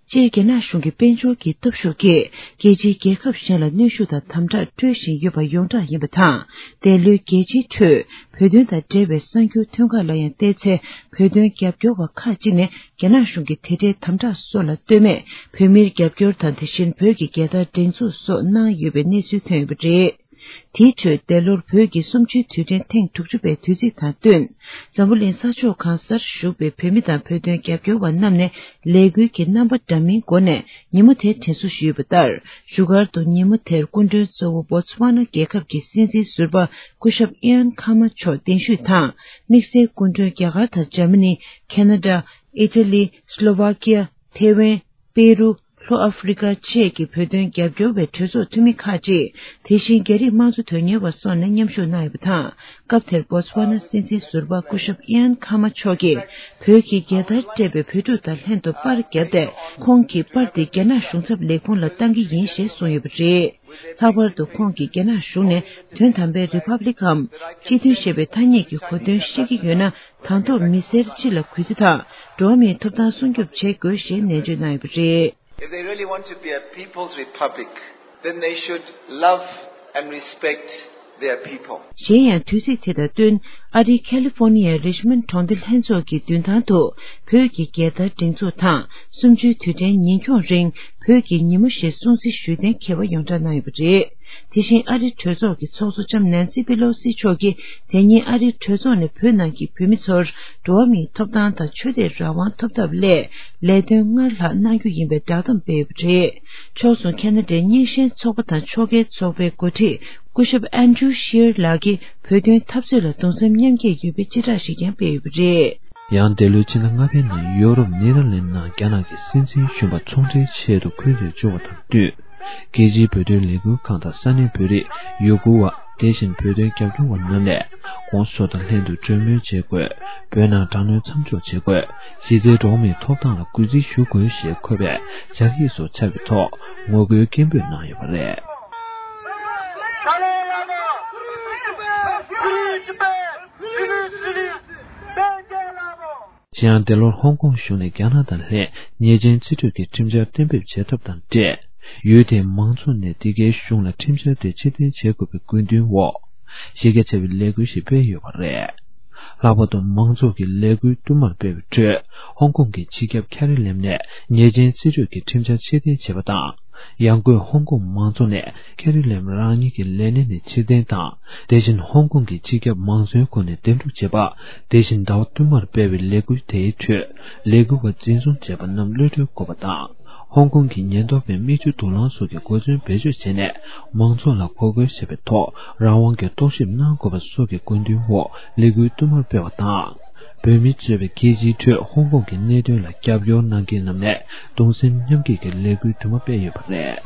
སྤྱིར་རྒྱ་ནག་གཞུང་གིས་དཔལ་འབྱོར་གྱི་སྟོབས་ཤུགས་ཀྱིས་རྒྱལ་སྤྱིའི་རྒྱལ་ཁབ་གཞན་ལ་གནོན་ཤུགས་དང་དམ་དྲག་སྤྲོད་བཞིན་ཡོད་པ་ཡོངས་གྲགས་ཡིན་པ་དང་། འདས་ལོའི་རྒྱལ་སྤྱིའི་ཁྲོད་བོད་དོན་དང་འབྲེལ་བའི་གསར་འགྱུར་ཐོན་ཁག་ལ་ཡང་བལྟས་ཚེ། བོད་དོན་རྒྱབ་སྐྱོར་བ་ཁག་ཅིག་ནས་རྒྱ་ནག་གཞུང་གི་དེ་འདྲའི་དམ་དྲག་སོགས་ལ་ལྟོས་མེད་བོད་མིར་རྒྱབ་སྐྱོར་དང་། དེ་བཞིན་བོད་ཀྱི་རྒྱལ་དར་སྒྲེང་འཛུགས་སོགས་གནང་ཡོད་པའི་གནས་ཚུལ་ཐོན་ཡོད་པ་རེད། དེའི་ཁྲོད་འདས་ལོར་བོད་ཀྱི་གསུམ་བཅུའི་དུས་དྲན་ཐེངས་དྲུག་ཅུ་པའི་དུས་ཚིགས་དང་བསྟུན། འཛམ་བུ་གླིང་ས་ཕྱོགས་གང་སར་བཞུགས་པའི་བོད་མི་དང་བོད་དོན་རྒྱབ་སྐྱོར་བ་རྣམས་ནས་ལས་འགུལ་གྱི་རྣམ་པ་འདྲ་མིན་སྒོ་ནས་ཉིན་མོ་དེ་དྲན་གསོ་ཞུས་པ་ལྟར། བཞུགས་སྒར་དུ་ཉིན་མོ་དེར་སྐུ་མགྲོན་གཙོ་བོ་བོ་ཚ་ཝ་ན་རྒྱལ་ཁབ་ཀྱི་སྲིད་འཛིན་ཟུར་པ་སྐུ་ཞབས་ཨི་ཡན་ཁ་མ་མཆོག་གདན་ཞུས་དང་། དམིགས་བསལ་སྐུ་མགྲོན་རྒྱ་གར་དང་འཇར་མ་ནི། ཁེ་ན་ཌ། ཨི་ཊ་ལི། སློ་ཝ་ཀི་ཡ། ཐེ་ཝན། པེ་རུ། ལྷོ་ཨ་ཧྥེ་རི་ཀ་བཅས་ཀྱི་བོད་དོན་རྒྱབ་སྐྱོར་བའི་གྲོས་ཚོགས་འཐུས་མི་ཁག་ཅིག་དེ་བཞིན་རྒྱ་རིགས་དམངས་གཙོ་དོན་གཉེར་བ་སོགས་ནས་མཉམ་ཞུགས་གནང་ཡོད་པ་དང་། སྐབས་དེར་བོ་ཚ་ཝ་ན་སྲིད་འཛིན་ཟུར་པ་སྐུ་ཞབས་ཨི་ཡན་ཁ་མ་མཆོག་གིས་བོད་ཀྱི་རྒྱལ་དར་སྤྲས་པའི་བོད་ཕྲུག་དང་ལྷན་དུ་པར་བརྒྱབ་སྟེ། ཁོང་གིས་པར་དེ་རྒྱ་ནག་གཞུང་ཚབ་ལས་ཁུངས་ལ་བཏང་གི་ཡིན་ཞེས་གསུངས་ཡོད་པ་རེད། ལྷག་པར་དུ་ཁོང་གིས་རྒྱ་ནག་གཞུང་ནས་དོན་དམ་པའི་རི་ཕབ་ལིག་གམ། སྤྱི་མཐུན་ཞེས་པའི་ཐ་སྙད་ཀྱི་གོ་དོན་ཤེས་ཀྱི་ཡོད་ན། དང་ཐོག་མི་སེར་སྤྱི་ལ་གུས་བརྩི་དང་། འགྲོ་བ་མིའི་ཐོབ་ཐང་སྲུང་སྐྱོབ་བྱེད་དགོས་ཞེས་ནན་བརྗོད་གནང་ཡོད་པ་རེད། If they really want to be a people's republic, then they should love and respect their people. གཞན་ཡང་དུས་ཚིགས་དེ་དང་བསྟུན། ཨ་རིའི་ཁ་ལི་ཧྥོ་ནི་ཡའི་རི་ཆི་མོན་གྲོང་སྡེ་ལྷན་ཚོགས་ཀྱི་མདུན་ཐང་དུ་བོད་ཀྱི་རྒྱལ་དར་སྒྲེང་འཛུགས་དང་། གསུམ་བཅུའི་དུས་དྲན་ཉིན་འཁྱོངས་རིང་བོད་ཀྱི་ཉིན་མོ་ཞེས་སྲུང་བརྩི་ཞུ་གཏན་འཁེལ་བ་ཡོངས་གྲགས་གནང་ཡོད་པ་རེད། དེ་བཞིན་ཨ་རིའི་གྲོས་ཚོགས་ཀྱི་ཚོགས་གཙོ་ལྕམ་ནན་སི་པེ་ལོ་སི་མཆོག་གིས། དེ་ཉིན་ཨ་རིའི་གྲོས་ཚོགས་ནས་བོད་ནང་གི་བོད་མི་ཚོར་འགྲོ་བ་མིའི་ཐོབ་ཐང་དང་ཆོས་དད་རང་དབང་ཐོབ་ཐབས་སླད་ལས་དོན་སྔར་ལྷག་གནང་རྒྱུ་ཡིན་པའི་བསྒྲགས་གཏམ་སྤེལ་ཡོད་པ་རེད། ཕྱོགས་མཚུངས་ཁེ་ན་ཌའི་རྙིང་ཞེན་ཚོགས་པ་དང་ཕྱོགས་འགལ་ཚོགས་པའི་འགོ་ཁྲིད་སྐུ་ཞབས་ཨན་ཌྲུ་ཤིར་ལགས་ཀྱིས་བོད་དོན་འཐབ་རྩོད་ལ་གདུང་སེམས་མཉམ་སྐྱེད་ཡོད་པའི་སྤྱི་བསྒྲགས་ཤིག་ཀྱང་སྤེལ་ཡོད་པ་རེད། ཡང་འདས་ལོའི་ཕྱི་ཟླ་ལྔ་པའི་ནང་ཡོ་རོབ་ནེ་དར་ལེན་ནང་རྒྱ་ནག་གི་སྲིད་འཛིན་གཞོན་པ་ཚོང་འབྲེལ་ཆེད་དུ་ཁུལ་དེར་འབྱོར་བ་དང་བསྟུན། རྒྱལ་སྤྱིའི་བོད་དོན་ལས་འགུལ་ཁང་དང་ས་གནས་བོད་རིགས། ཡུ་གུར་བ། དེ་བཞིན་བོད་དོན་རྒྱབ་སྐྱོར་བ་རྣམས་ནས་༧གོང་ས་མཆོག་དང་ལྷན་དུ་གྲོས་མོལ་བྱེད་དགོས། བོད་ནང་དྲག་གནོན་མཚམས་འཇོག་བྱེད་དགོས། གཞི་རྩའི་འགྲོ་བ་མིའི་ཐོབ་ཐང་ལ་གུས་བརྩི་ཞུ་དགོས་ཞེས་འཁོད་པའི་སྦྱར་ཡིག་སོགས་ཁྱབ་པའི་ཐོག་ངོ་རྒོལ་སྐད་འབོད་གནང་ཡོད་པ་རེད། གཞན་ཡང་འདས་ལོར་ཧོང་ཀོང་གཞུང་ནས་རྒྱ་ནག་དང་ལྷན་ཉེས་ཅན་རྩིས་སྤྲོད་ཀྱི་ཁྲིམས་འཆར་གཏན་འབེབས་བྱེད་ཐབས་དང་འབྲེལ། ཡུལ་དེའི་མང་ཚོགས་ནས་འདི་གའི་གཞུང་ལ་ཁྲིམས་འཆར་དེ་ཕྱིར་འཐེན་བྱེད་དགོས་པའི་དགོས་འདུན་འོག་གཞི་རྒྱ་ཆེ་བའི་ལས་འགུལ་ཞིག་སྤེལ་ཡོད་པ་རེད། ལྷག་པར་དུ་མང་ཚོགས་ཀྱིས་ལས་འགུལ་བསྟུད་མར་སྤེལ་བའི་ཁྲོད། ཧོང་ཀོང་གི་སྤྱི་ཁྱབ་ཁེ་རི་ལེམ་ནས་ཉེས་ཅན་རྩིས་སྤྲོད་ཀྱི་ཁྲིམས་འཆར་ཕྱིར་འཐེན་བྱས་པ་དང་། ཡང་སྒོས་ཧོང་ཀོང་མང་ཚོགས་ནས་ཁེ་རི་ལེམ་རང་ཉིད་ཀྱི་ལས་གནས་ནས་ཕྱིར་འཐེན་དང་། དེ་བཞིན་ཧོང་ཀོང་གི་སྤྱི་ཁྱབ་མང་གཙོའི་སྒོ་ནས་འདེམས་སྒྲུག་བྱས་པ། དེ་བཞིན་ཟླ་བ་བསྟུད་མར་སྤེལ་བའི་ལས་འགུལ་དེའི་ཁྲོད་ལས་འགུལ་བ་འཛིན་བཟུང་བྱས་པ་རྣམས་གློད་གྲོལ་དགོས་པ་དང་། ཧོང་ཀོང་གི་ཉེན་རྟོག་པས་མིག་ཆུ་དུག་རླངས་སོགས་ཀྱི་གོ་མཚོན་བེད་སྤྱོད་བྱས་ནས་མང་ཚོགས་ལ་འགོག་རྒོལ་བྱས་པའི་ཐོག་རང་དབང་གི་རྟོག་ཞིབ་གནང་དགོས་པ་སོགས་ཀྱི་དགོས་འདུན་འོག་ལས་འགུལ་བསྟུད་མར་སྤེལ་བ་དང་། བོད་མི་གཙོས་པའི་རྒྱལ་སྤྱིའི་ཁྲོད་ཧོང་ཀོང་གི་གནད་དོན་ལ་རྒྱབ་སྐྱོར་གནང་མཁན་རྣམས་ནས་གདུང་སེམས་མཉམ་སྐྱེད་ཀྱི་ལས་འགུལ་དུ་མ་སྤེལ་ཡོད་པ་རེད།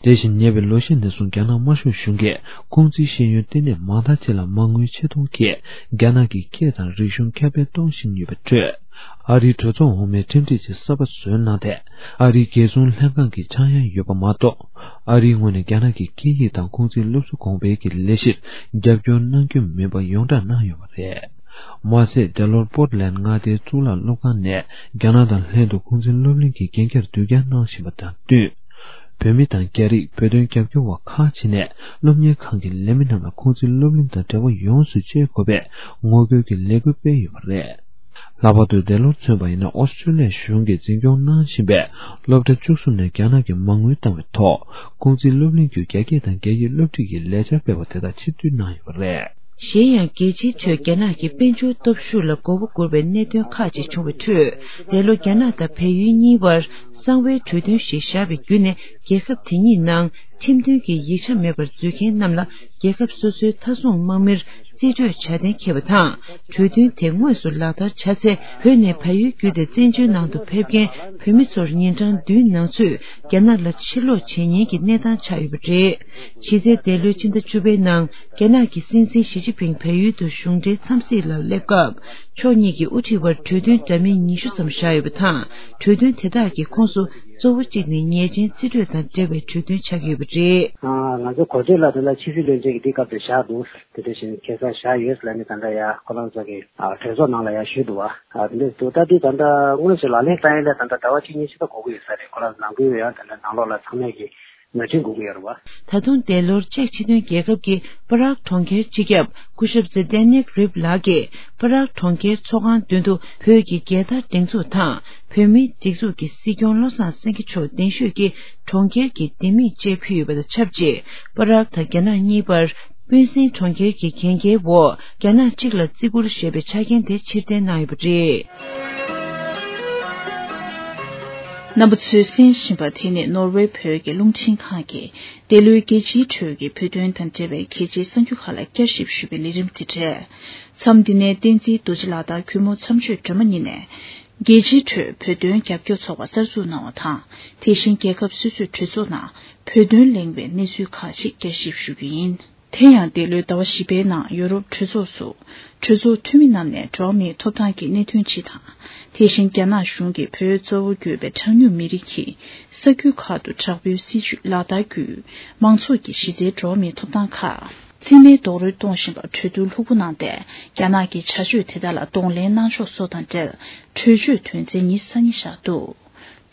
དེ་བཞིན་ཉེ་བའི་ལོ་ཤས་ནས་བཟུང་རྒྱ་ནག་དམར་ཤོག་གཞུང་གིས་ཁུང་ཙི་ཤེས་ཡོན་ལྟེ་གནས་མང་དག་ཅིག་ལ་མ་དངུལ་ཆེ་མཐོང་གིས་རྒྱ་ནག་གི་སྐད་དང་རིག་གཞུང་ཁྱབ་སྤེལ་གཏོང་བཞིན་ཡོད་པའི་ཁྲོད། ཨ་རིའི་གྲོས་ཚོགས་འོག་མའི་ཁྲིམས་སྒྲིག་ཅིག་གསར་པ་བཟོས་གནང་སྟེ། ཨ་རིའི་རྒྱལ་སྲུང་ལྷན་ཁང་གི་ཆག་ཡང་ཡོད་པ་མ་གཏོགས། ཨ་རིའི་ངོས་ནས་རྒྱ་ནག་གི་སྐད་ཡིག་དང་ཁུང་ཙིའི་སློབ་གསོ་གོང་འཕེལ་གྱི་ལས་གཞིར་རྒྱབ་སྐྱོར་གནང་རྒྱུ་མིན་པ་ཡོངས་གྲགས་གནང་ཡོད་པ་རེད། མ་ཟད། འདས་ལོར་པོར་ཊ་ལེན་མངའ་སྡེའི་གཙུག་ལག་སློབ་ཁང་ནས་རྒྱ་ནག་དང་ལྷན་དུ་ཁུང་ཙི་སློབ་གླིང་གི་འགན་འཁྱེར་དུས་འགྱངས་གནང་བཞིན་པ་དང་བསྟུན། བོད་མི་དང་རྒྱ་རིགས་བོད་དོན་རྒྱབ་སྐྱོར་བ་ཁག་ཅིག་ནས་སློབ་གཉེར་ཁང་གི་ལས་མི་རྣམས་ལ་ཁུང་ཙི་སློབ་གླིང་དང་འབྲེལ་བ་ཡོངས་སུ་བཅད་དགོས་པའི་ངོ་རྒོལ་གྱི་ལས་འགུལ་སྤེལ་ཡོད་པ་རེད། ལྷག་པར་དུ་འདས་ལོར་མཚོན་པ་ཡིན་ན་ཨོ་སི་ཀྲོ་ལི་ཡ་གཞུང་གིས་འཛིན་སྐྱོང་གནང་བཞིན་པའི་སློབ་གྲྭ་བཅུ་གསུམ་ནས་རྒྱ་ནག་གི་མ་དངུལ་བཏང་བའི་ཐོག་ཁུང་ཙི་སློབ་གླིང་བརྒྱུད་རྒྱ་སྐད་དང་རྒྱ་ཡིག་སློབ་ཁྲིད་ཀྱི་ལས་འཆར་སྤེལ་བ་དེ་དག་ཕྱིར་བསྡུ་གནང་ཡོད་པ་རེད། གཞན་ཡང་། རྒྱལ་སྤྱིའི་ཁྲོད་རྒྱ་ནག་གི་དཔལ་འབྱོར་སྟོབས་ཤུགས་ལ་མགོ་བོ་སྒུར་བའི་གནད་དོན་ཁག་ཅིག་བྱུང་བའི་ཁྲོད། འདས་ལོ་རྒྱ་ནག་དང་བལ་ཡུལ་གཉིས་བར་གསང་བའི་གྲོས་མཐུན་ཞིག་བཞག་པའི་བརྒྱུད་ནས། རྒྱལ་ཁབ་དེ་གཉིས་ནང་ཁྲིམས་མཐུན་གྱི་ཡིག་ཆ་མེད་པར་འཛུལ་མཁན་རྣམས་ལ། རྒྱལ་ཁབ་སོ་སོའི་མཐའ་སྲུང་དམག་མིར་རྩིས་སྤྲོད་བྱ་གཏན་འཁེལ་བ་དང་། གྲོས་མཐུན་དེ་དངོས་སུ་ལག་བསྟར་བྱ་ཚེ། བོད་ནས་བལ་ཡུལ་བརྒྱུད་དེ་བཙན་བྱོལ་ནང་དུ་ཕེབས་མཁན་བོད་མི་ཚོར་ཉིན་གྲངས་བདུན་ནང་ཚུད་རྒྱ་ནག་ལ་ཕྱིར་ལོག་བྱེད་ཉེན་གྱི་གནས་སྟངས་ཆགས་ཡོད་པ་རེད། གཞི་རྩའི་འདས་ལོའི་ཕྱི་ཟླ་བཅུ་པའི་ནང་རྒྱ་ནག་གི་སྲིད་འཛིན་ཞི་ཅིན་ཕིང་བལ་ཡུལ་དུ་གཞུང་འབྲེལ་འཚམས་གཟིགས་ལ་སླེབས་སྐབས། ཕྱོགས་གཉིས་ཀྱི་དབུ་ཁྲིད་བར་གྲོས་མཐུན་འདྲ་མིན་ཉི་ཤུ་ཙམ་བཞག་ཡོད་པ་དང་། གྲོས་མཐུན་དེ་དག་གི་ཁོངས་སུ་གཙོ་བོ་གཅིག་ནི་ཉེས་ཅན་རྩིས་སྤྲོད་དང་འབྲེལ་བའི་གྲོས་མཐུན་ཆགས་ཀྱི་ཡོད་པ་རེད། ང་ཚོ་གོ་ཐོས་ལ་དེ་ལ་ཕྱི་སྲིད་བློན་ཆེན་གྱིས་འདི་སྐབས་དེ་བཞག་འདུག་དེ་འདྲ་བཞིན་ཁ་སང་བཞག་ཡོད་ལབ་ནས་ད་ལྟ་ཡ་ཁོ་རང་ཚོ་གི་གྲོས་ཚོགས་ནང་ལ་ཡ་ཞུས་འདུག་བ། དེ་འདྲ་འདུག་ད་དུས་ད་ལྟ་དངོས་སུ་ལག་ལེན་བསྟར་ཡ་ལ་ད་ལྟ་ཟླ་བ་གཅིག་གཉིས་ཤིག་ད་འགོར་གྱི་ཡོད་ས་རེད། ཁོ་རང་ནང་ཁུལ་ཡང་དེ་འདྲ་ནང་ལོགས་ལ་ཚང་མས་ཀྱི་མོས་མཐུན་དགོས་ཀྱི་ཡོད་རེད་བ། ད་དུང་འདས་ལོར་ཅེཀ་སྤྱི་མཐུན་རྒྱལ་ཁབ་ཀྱི་པ་རག་གྲོང་ཁྱེར་སྤྱི་ཁྱབ་སྐུ་ཞབས་ཛེ་ཏན་ནིག་རིབ་ལགས་ཀྱིས་པ་རག་གྲོང་ཁྱེར་ཚོགས་ཁང་མདུན་དུ་བོད་ཀྱི་རྒྱལ་དར་སྒྲེང་འཛུགས་དང་། བོད་མིའི་སྒྲིག་འཛུགས་ཀྱི་སྲིད་སྐྱོང་བློ་བཟང་སེང་གེ་མཆོག་གདན་ཞུས་ཀྱིས་གྲོང་ཁྱེར་གྱི་ལྡེ་མིག་ཅེས་ཕུལ་ཡོད་པ་དང་ཆབས་ཅིག་པ་རག་དང་རྒྱ་ནག་གཉིས་བར་སྤུན་སྲིང་གྲོང་ཁྱེར་གྱི་གན་རྒྱའི་འོག་རྒྱ་ནག་གཅིག་ལ་བརྩི་བཀུར་ཞེས་པའི་ཆ་རྐྱེན་དེ་ཕྱིར་འཐེན་གནང་ཡོད་པ་རེད། རྣམ་པ་ཚོས་གསན་བཞིན་པ་དེ་ནི་ནོར་ཝེ་བོད་ཀྱི་རླུང་འཕྲིན་ཁང་གི་འདི་ལོའི་རྒྱལ་སྤྱིའི་གྲོས་ཀྱི་བོད་དོན་དང་འབྲེལ་བའི་གལ་ཆེའི་གསར་འགྱུར་ཁག་ལ་བསྐྱར་ཞིབ་ཞུ་བའི་ལས་རིམ་དེ་རེད། མཚམས་འདི་ནས་བསྟན་འཛིན་རྡོ་རྗེ་ལགས་དང་གུས་མོ་མཚམས་གཅོད་སྒྲོལ་མ་གཉིས་ནས། རྒྱལ་སྤྱིའི་ཁྲོད་བོད་དོན་རྒྱབ་སྐྱོར་ཚོགས་པ་གསར་འཛུགས་གནང་བ་དང་། དེ་བཞིན་རྒྱལ་ཁབ་སོ་སོའི་གྲོས་ཚོགས་ནང་བོད་དོན་གླེང་བའི་གནས་ཚུལ་ཁག་ཅིག་བསྐྱར་ཞིབ་ཞུ་རྒྱུ་ཡིན། དེ་ཡང་འདས་ལོའི་ཟླ་བ་བཞི་པའི་ནང་ཡོ་རོབ་གྲོས་ཚོགས་སུ་གྲོས་ཚོགས་འཐུས་མི་རྣམས་ནས་འགྲོ་བ་མིའི་ཐོབ་ཐང་གི་གནད་དོན་སྤྱི་དང་། དེ་བཞིན་རྒྱ་ནག་གཞུང་གིས་བོད་གཙོ་བོ་གྱུར་པའི་གྲངས་ཉུང་མི་རིགས་ཀྱི་ས་ཁུལ་ཁག་ཏུ་དྲག་པོའི་སྲིད་བྱུས་ལག་བསྟར་བརྒྱུད་མང་ཚོགས་ཀྱི་གཞི་རྩའི་འགྲོ་བ་མིའི་ཐོབ་ཐང་ཁག་རྩིས་མེད་རྡོག་རོལ་གཏོང་བཞིན་པ་གྲོས་བསྡུར་ལྷུག་པོ་གནང་སྟེ། རྒྱ་ནག་གི་བྱ་སྤྱོད་དེ་དག་ལ་གདོང་ལེན་གནང་ཕྱོགས་སོགས་དང་འབྲེལ་གྲོས་ཆོད་དོན་ཚན་ཉི་ཤུ་རྩ་གཉིས་བཞག་འདུག་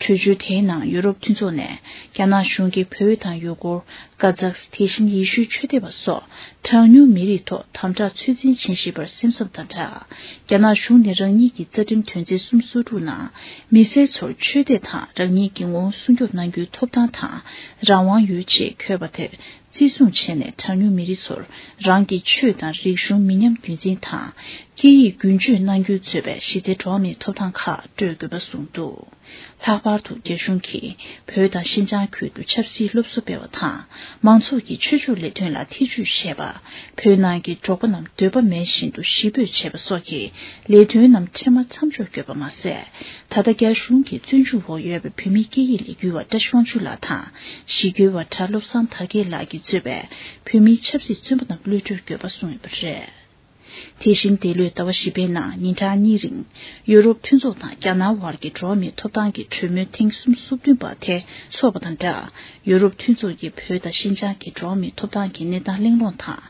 གྲོས་ཆོད་དེའི་ནང་ཡུ་རོབ་མཐུན་ཚོགས་ནས་རྒྱ་ནག་གཞུང་གིས་བོད་དང་ཡུ་གུར། ཀ་ཛག་དེ་བཞིན་ཡེ་ཤུའི་ཆོས་དད་པ་སོགས་གྲངས་ཉུང་མི་རིགས་ཐོག་དམ་དྲག་ཚོད་འཛིན་བྱེད་བཞིན་པར་སེམས་འཚབ་དང་སྦྲགས། རྒྱ་ནག་གཞུང་ནས་རང་ཉིད་ཀྱི་རྩ་ཁྲིམས་དོན་ཚན་སུམ་ཅུ་སོ་དྲུག་ནང་མི་སེར་ཚོར་ཆོས་དད་དང་རང་ཉིད་ཀྱི་ངོ་བོ་སྲུང་སྐྱོབ་གནང་རྒྱུའི་ཐོབ་ཐང་དང་རང་དབང་ཡོད་ཅེས་འཁོད་པ་དེར། བརྩི་སྲུང་བྱས་ནས་གྲངས་ཉུང་མི་རིགས་ཚོར་རང་གི་ཆོས་དང་རིག་གཞུང་མི་ཉམས་རྒྱུན་འཛིན་དང་། སྐད་ཡིག་རྒྱུན་སྤྱོད་གནང་རྒྱུའི་གཙོས་པའི་གཞི་རྩའི་འགྲོ་བ་མིའི་ཐོབ་ཐང་ཁག་སྤྲོད་དགོས་པ་གསུངས་འདུག་ལྷག་པར་དུ་རྒྱ་གཞུང་གིས་བོད་དང་ཤིན་ཅང་ཁུལ་དུ་ཆབ་སྲིད་སློབ་གསོ་སྤེལ་བ་དང་། མང་ཚོགས་ཀྱི་ཆོས་ཕྱོགས་ལས་དོན་ལ་ཐེ་ཇུས་བྱས་པ། བོད་ནང་གི་འབྲོག་པ་རྣམས་འདོད་པ་མེད་བཞིན་དུ་གཞིས་སྤོས་བྱས་པ་སོགས་ཀྱི་ལས་དོན་རྣམས་འཕྲལ་མར་མཚམས་འཇོག་དགོས་པ་མ་ཟད། ད་ལྟ་རྒྱ་གཞུང་གི་བཙོན་འཇུག་འོག་ཡོད་པའི་བོད་མིའི་སྐད་ཡིག་ལས་འགུལ་བ་བཀྲ་ཤིས་དབང་ཕྱུག་ལགས་དང་། གཞིས་འགྱུར་བ་གྲྭ་བློ་བཟང་དར་རྒྱས་ལགས་ཀྱིས་གཙོས་པའི་བོད་མིའི་ཆབ་སྲིད་བཙོན་པ་རྣམས་གློད་གྲོལ་དགོས་པ་གསུངས་ཡོད་པ་རེད། དེ་བཞིན་འདས་ལོའི་ཟླ་བ་བཞི་པའི་ནང་ཉིན་གྲངས་གཉིས་རིང་ཡུ་རོབ་མཐུན་ཚོགས་དང་རྒྱ་ནག་དབར་གྱི་འགྲོ་བ་མིའི་ཐོབ་ཐང་གི་གྲོས་མོལ་ཐེངས་སུམ་ཅུ་སོ་བདུན་པ་དེ་འཚོགས་པ་དང་སྦྲགས། ཡུ་རོབ་མཐུན་ཚོགས་ཀྱིས་བོད་དང་ཤིན་ཅང་གི་འགྲོ་བ་མིའི་ཐོབ་ཐང་གི་གནས་སྟངས་གླེང་སློང་དང་།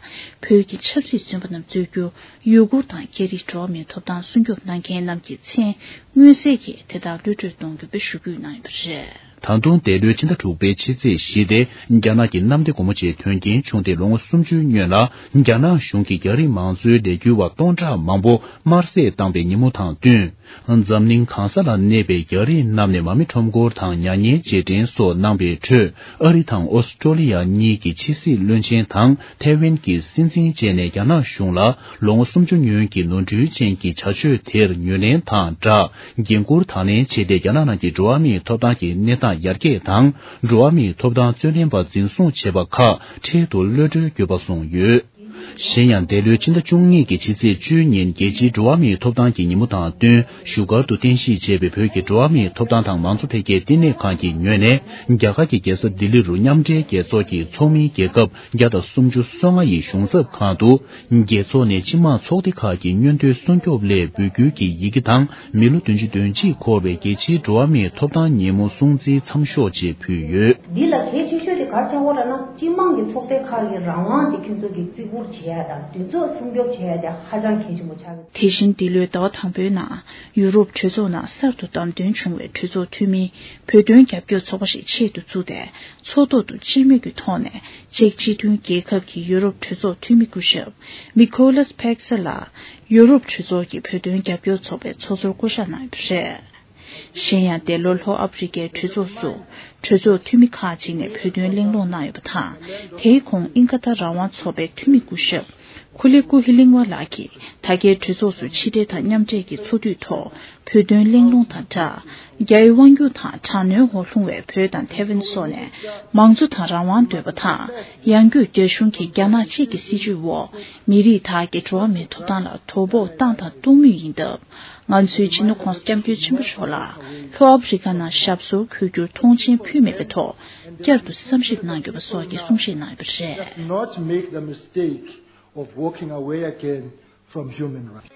བོད་ཀྱི་ཆབ་སྲིད་བཙོན་པ་རྣམས་གཙོས་རྒྱུ་ཡུ་གུར་དང་སྐད་རིགས་འགྲོ་བ་མིའི་ཐོབ་ཐང་སྲུང་སྐྱོབ་གནང་མཁན་རྣམས་ཀྱི་མཚན་མངོན་གསལ་གྱིས་དེ་དག་གློད་གྲོལ་གཏོང་དགོས་པའི་ཞུ་སྐུལ་གནང་ཡོད་པ་རེད། ད་དུང་འདས་ལོའི་ཕྱི་ཟླ་དྲུག་པའི་ཕྱི་ཚེས་བཞི་སྟེ་རྒྱ་ནག་གི་གནམ་བདེ་སྒོ་མོ་ཆེའི་དོན་རྐྱེན་བྱུང་སྟེ་ལོ་ངོ་སུམ་ཅུའི་སྔོན་ལ། རྒྱ་ནག་གཞུང་གིས་རྒྱ་རིགས་མང་གཙོའི་ལས་འགུལ་བ་སྟོང་ཕྲག་མང་པོ་དམར་བསད་བཏང་པའི་ཉིན་མོ་དང་བསྟུན། འཛམ་གླིང་གང་ས་ལ་གནས་པའི་རྒྱ་རིགས་རྣམས་ནས་མ་རྨོས་ཁྲོམ་སྐོར་དང་མྱ་ངན་རྗེས་དྲན་སོགས་གནང་པའི་ཁྲོད། ཨ་རི་དང་ཨོ་སི་ཀྲོ་ལི་ཡ་གཉིས་ཀྱི་ཕྱི་སྲིད་བློན་ཆེན་དང་ཐའེ་ཝན་གྱི་སྲིད་འཛིན་བཅས་ནས་རྒྱ་ནག་གཞུང་ལ་ལོ་ངོ་སུམ་ཅུ་སྔོན་གྱི་ནོར་འཁྲུལ་ཅན་གྱི་བྱ་སྤྱོད་དེར་ངོས་ལེན་དང་སྦྲགས། འགན་འཁུར་དང་ལེན་བྱས་ཏེ། རྒྱ་ནག་ནང་གི་འགྲོ་བ་མིའི་ཐོབ་ཐང་གི་གནས་སྟངས་ཡར་རྒྱས་དང་། འགྲོ་བ་མིའི་ཐོབ་ཐང་རྩོད་ལེན་པ་འཛིན་བཟུང་བྱས་པ་ཁག་འཕྲལ་དུ་གློད་གྲོལ་དགོས་པ་གསུངས་ཡོད། གཞན་ཡང་འདས་ལོའི་ཕྱི་ཟླ་བཅུ་གཉིས་ཀྱི་ཕྱི་ཚེས་བཅུའི་ཉིན་རྒྱལ་སྤྱིའི་འགྲོ་བ་མིའི་ཐོབ་ཐང་གི་ཉིན་མོ་དང་བསྟུན། བཞུགས་སྒར་དུ་རྟེན་གཞི་བྱས་པའི་བོད་ཀྱི་འགྲོ་བ་མིའི་ཐོབ་ཐང་དང་མང་གཙོ་འཕེལ་རྒྱས་བསྟི་གནས་ཁང་གི་ངོས་ནས། རྒྱ་གར་གྱི་རྒྱལ་ས་ལྡི་ལི་རུ་མཉམ་འབྲེལ་རྒྱལ་ཚོགས་ཀྱི་ཚོགས་མིའི་རྒྱལ་ཁབ་བརྒྱ་དང་སུམ་ཅུ་སོ་ལྔ་ཡི་གཞུང་ཚབ་ཁང་དུ། རྒྱལ་ཚོགས་ནས་སྤྱི་དམངས་ཚོགས་སྡེ་ཁག་གི་མངོན་འདོད་སྲུང་སྐྱོབ་སླད་འབོད་སྐུལ་གྱི་ཡི་གེ་དང་། མི་ལོ་བདུན་ཅུ་དོན་གཅིག་འཁོར་བའི་རྒྱལ་སྤྱིའི་འགྲོ་བ་མིའི་ཐོབ་ཐང་ཉིན་མོ་སྲུང་བརྩིའི་མཚམས་ཞོགས་ཅེས་ཕུལ་ཡོད། འདི་ལ་གལ་ཆེ་ཤོས་དེ་ག་རེ་ཆགས་ཡོད་ལབ་ན། སྤྱི་དམངས་ཀྱི་ཚོགས་སྡེ་ཁག་གི་རང་དབང་དེ་ཁྱོད་ཚོ་གིས་བརྩི་བཀུར་བྱེད་ཡ་དང་། དེ་ཚོ་སྲུང་སྐྱོབ་བྱེད་ཡ་དེ་ཧ་ཅང་གལ་ཆེན་པོ་ཆགས་ཀྱི་འདུག་དེ་བཞིན་འདི་ལོའི་ཟླ་བ་དང་པོའི་ནང་ཡུ་རོབ་གྲོས་ཚོགས་ནང་གསར་དུ་བདམས་ཐོན་བྱུང་བའི་གྲོས་ཚོགས་འཐུས་མིའི་བོད་དོན་རྒྱབ་སྐྱོར་ཚོགས་པ་ཞིག་ཆེད་དུ་བཙུགས་ཏེ། ཚོགས་ཐོག་ཏུ་སྤྱི་མོས་ཀྱི་ཐོག་ནས་ཅེཀ་སྤྱི་མཐུན་རྒྱལ་ཁབ་ཀྱི་ཡུ་རོབ་གྲོས་ཚོགས་འཐུས་མི་སྐུ་ཞབས་མི་ཁོ་ལཱས་ཕེག་སེ་ལགས་ཡུ་རོབ་གྲོས་ཚོགས་ཀྱི་བོད་དོན་རྒྱབ་སྐྱོར་ཚོགས་པའི་ཚོགས་གཙོར་བསྐོ་གཞག་གནང་ཡོད་པ་རེད། གཞན་ཡང་འདས་ལོར་ལྷོ་ཨ་ཕི་རི་ཀའི་གྲོས་ཚོགས་སུ་གྲོས་ཚོགས་འཐུས་མི་ཁག་ཅིག་ནས་བོད་དོན་གླེང་སློང་གནང་ཡོད་པ་དང་། དེའི་གོང་དབྱིན་ཁ་ཐར་རང་དབང་ཚོགས་པའི་འཐུས་མི་སྐུ་ཞབས་ ཁུ་ལི་ཀུ་ཧི་གླིང་བ་ལགས་ཀྱིས་ད་གའི་གྲོས་ཚོགས་སུ་ཕྱི་འབྲེལ་དང་མཉམ་འབྲེལ་གྱི་ཚོགས་དུས་ཐོག་བོད་དོན་གླེང་སློང་དང་སྦྲགས། རྒྱ་ཡི་དབང་སྒྱུར་དང་དྲག་གནོན་འོག་ལྷུང་བའི་བོད་དང་ཐེ་ཝན་སོགས་ནས་མང་གཙོ་དང་རང་དབང་འདོད་པ་དང་། ཡང་སྒོས་རྒྱ་གཞུང་གིས་རྒྱ་ནག་གཅིག་གི་སྲིད་བྱུས་འོག་མི་རིགས་དག་གི་འགྲོ་བ་མིའི་ཐོབ་ཐང་ལ་དོ་ཕོག་བཏང་དང་གཏོང་མུས་ཡིན་སྟབས། ང་ཚོའི་སྤྱི་ནོར་༸གོང་ས་༸སྐྱབས་མགོན་ཆེན་པོ་མཆོག་ལ་ལྷོ་ཨ་ཕི་རི་ཀ་ནང་ཞབས་སོར་འཁོད་རྒྱུར་མཐོང་ཆེན་ཕུལ་མེད་པའི་ཐོག་བསྐྱར་དུ་བསམ་ཞིབ་གནང་དགོས་པ་སོགས་ཀྱི་གསུང་བཤད་གནང་ཡོད་པ་རེད། Not make the mistake of walking away again from human rights.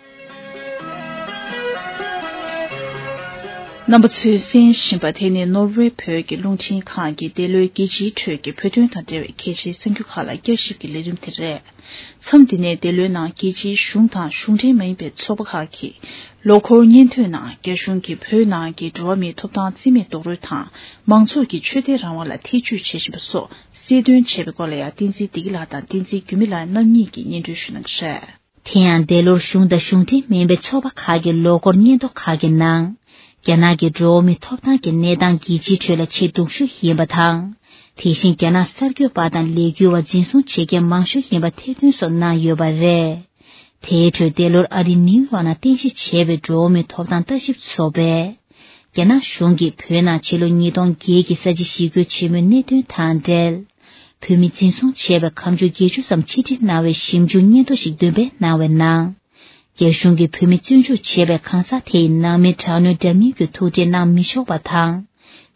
རྣམ་པ་ཚོས་གསན་བཞིན་པ་དེ་ནི་ནོར་ཝེ་བོད་ཀྱི་རླུང་འཕྲིན་ཁང་གི་འདི་ལོའི་རྒྱལ་སྤྱིའི་ཁྲོད་ཀྱི་བོད་དོན་དང་འབྲེལ་བའི་གལ་ཆེའི་གསར་འགྱུར་ཁག་ལ་བསྐྱར་ཞིབ་ཀྱི་ལས་རིམ་དེ་རེད། མཚམས་འདི་ནས་འདི་ལོའི་ནང་རྒྱལ་སྤྱིའི་གཞུང་དང་གཞུང་འབྲེལ་མ་ཡིན་པའི་ཚོགས་པ་ཁག་གིས་ལོ་འཁོར་སྙན་ཐོའི་ནང་རྒྱ་གཞུང་གིས་བོད་ནང་གི་འགྲོ་བ་མིའི་ཐོབ་ཐང་རྩིས་མེད་རྡོག་རོལ་དང་མང་ཚོགས་ཀྱི་ཆོས་དད་རང་དབང་ལ་ཐེ་བྱུས་བྱེད་བཞིན་པ་སོགས་གསལ་སྟོན་བྱས་པའི་སྐོར་ལ་ཡང་བསྟན་འཛིན་བདེ་སྐྱིད་ལགས་དང་བསྟན་འཛིན་འགྱུར་མེད་ལགས་རྣམ་གཉིས་ཀྱིས་སྙན་སྒྲོན་ཞུ་གནང་གི་རེད། དེ་ཡང་འདས་ལོར་གཞུང་དང་གཞུང་འབྲེལ་མིན་པའི་ཚོགས་པ་ཁག་གི་ལོ་འཁོར་སྙན་ཐོ་ཁག་གི་ནང་། རྒྱ་ནག་གི་འགྲོ་བ་མིའི་ཐོབ་ཐང་གི་གནས་སྟངས་རྒྱལ་སྤྱིའི་ཁྲོད་ལ་ཆེས་སྡུག་ཤོས་ཡིན་པ་དང་། དེ་བཞིན་རྒྱ་ནག་གསར་འགོད་པ་དང་ལས་འགུལ་བ་འཛིན་བཟུང་བྱེད་མཁན་མང་ཤོས་ཡིན་པ་ཐེར་འདོན་སོགས་གནང་ཡོད་པ་རེད། དེའི་ཁྲོད་འདས་ལོར་ཨ་རིའི་ནིའུ་ཡོག་ནང་རྟེན་གཞི་བྱས་པའི་འགྲོ་བ་མིའི་ཐོབ་ཐང་ལྟ་ཞིབ་ཚོགས་པས། རྒྱ་ནག་གཞུང་གིས་བོད་ནང་ཕྱི་ལོ་ཉིས་སྟོང་བརྒྱད་ཀྱི་ས་བྱི་ཞི་རྒོལ་ཆེན་མོའི་གནད་དོན་དང་འབྲེལ། བོད་མི་འཛིན་བཟུང་བྱས་པའི་ཁ་མཆུ་བརྒྱད་ཅུ་ཙམ་ཕྱིར་འཐེན་གནང་བའི་ཞིབ་འཇུག་སྙན་ཐོ་ཞིག་འདོན་སྤེལ་གནང་བའི་ནང་། རྒྱ་གཞུང་གིས་བོད་མི་བཙོན་འཇུག་བྱས་པའི་གང་ཟག་དེ་ཡི་ནང་མི་དྲག་གནོན་འདྲ་མིན་གྱི་ཐུག་འཕྲད་གནང་མི་ཆོག་པ་དང་།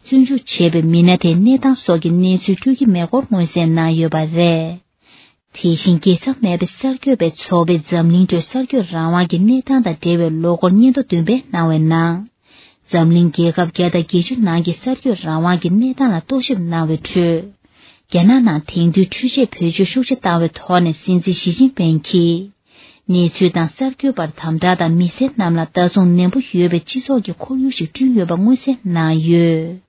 བཙོན་འཇུག་བྱས་པའི་མི་སྣ་དེའི་གནས་སྟངས་སོགས་ཀྱི་གནས་ཚུལ་སྤྲོད་ཀྱི་མེད་སྐོར་མངོན་གསལ་གནང་ཡོད་པ་རེད། དེ་བཞིན་རྒྱལ་ས་མེད་པའི་གསར་འགོད་པའི་ཚོགས་པས་འཛམ་གླིང་ཁྲོད་གསར་འགོད་རང་དབང་གི་གནས་སྟངས་དང་འབྲེལ་བའི་ལོ་འཁོར་སྙན་ཐོ་འདོན་སྤེལ་གནང་བའི་ནང་། འཛམ་གླིང་རྒྱལ་ཁབ་བརྒྱ་དང་བརྒྱད་ཅུ་ནང་གི་གསར་འགོད་རང་དབང་གི་གནས་སྟངས་ལ་རྟོག་ཞིབ་གནང་བའི་ཁྲོད། རྒྱ་ནག་ནང་དེང་དུས་འཕྲུལ་ཆས་བེད་སྤྱོད་ཤུགས་ཆེ་བཏང་བའི་ཐོག་ནས་སྲིད་འཛིན་ཞི་ཅིན་ཕིང་གིས། གནས་ཚུལ་དང་གསར་འགོད་པར་དམ་དྲག་དང་མི་སེར་རྣམས་ལ་ལྟ་སྲུང་ནན་པོ་ཡོད་པའི་སྤྱི་ཚོགས་ཀྱི་ཁོར་ཡུག་ཞིག་བསྐྲུན་ཡོད་པ་མངོན་གསལ་གནང་ཡོད།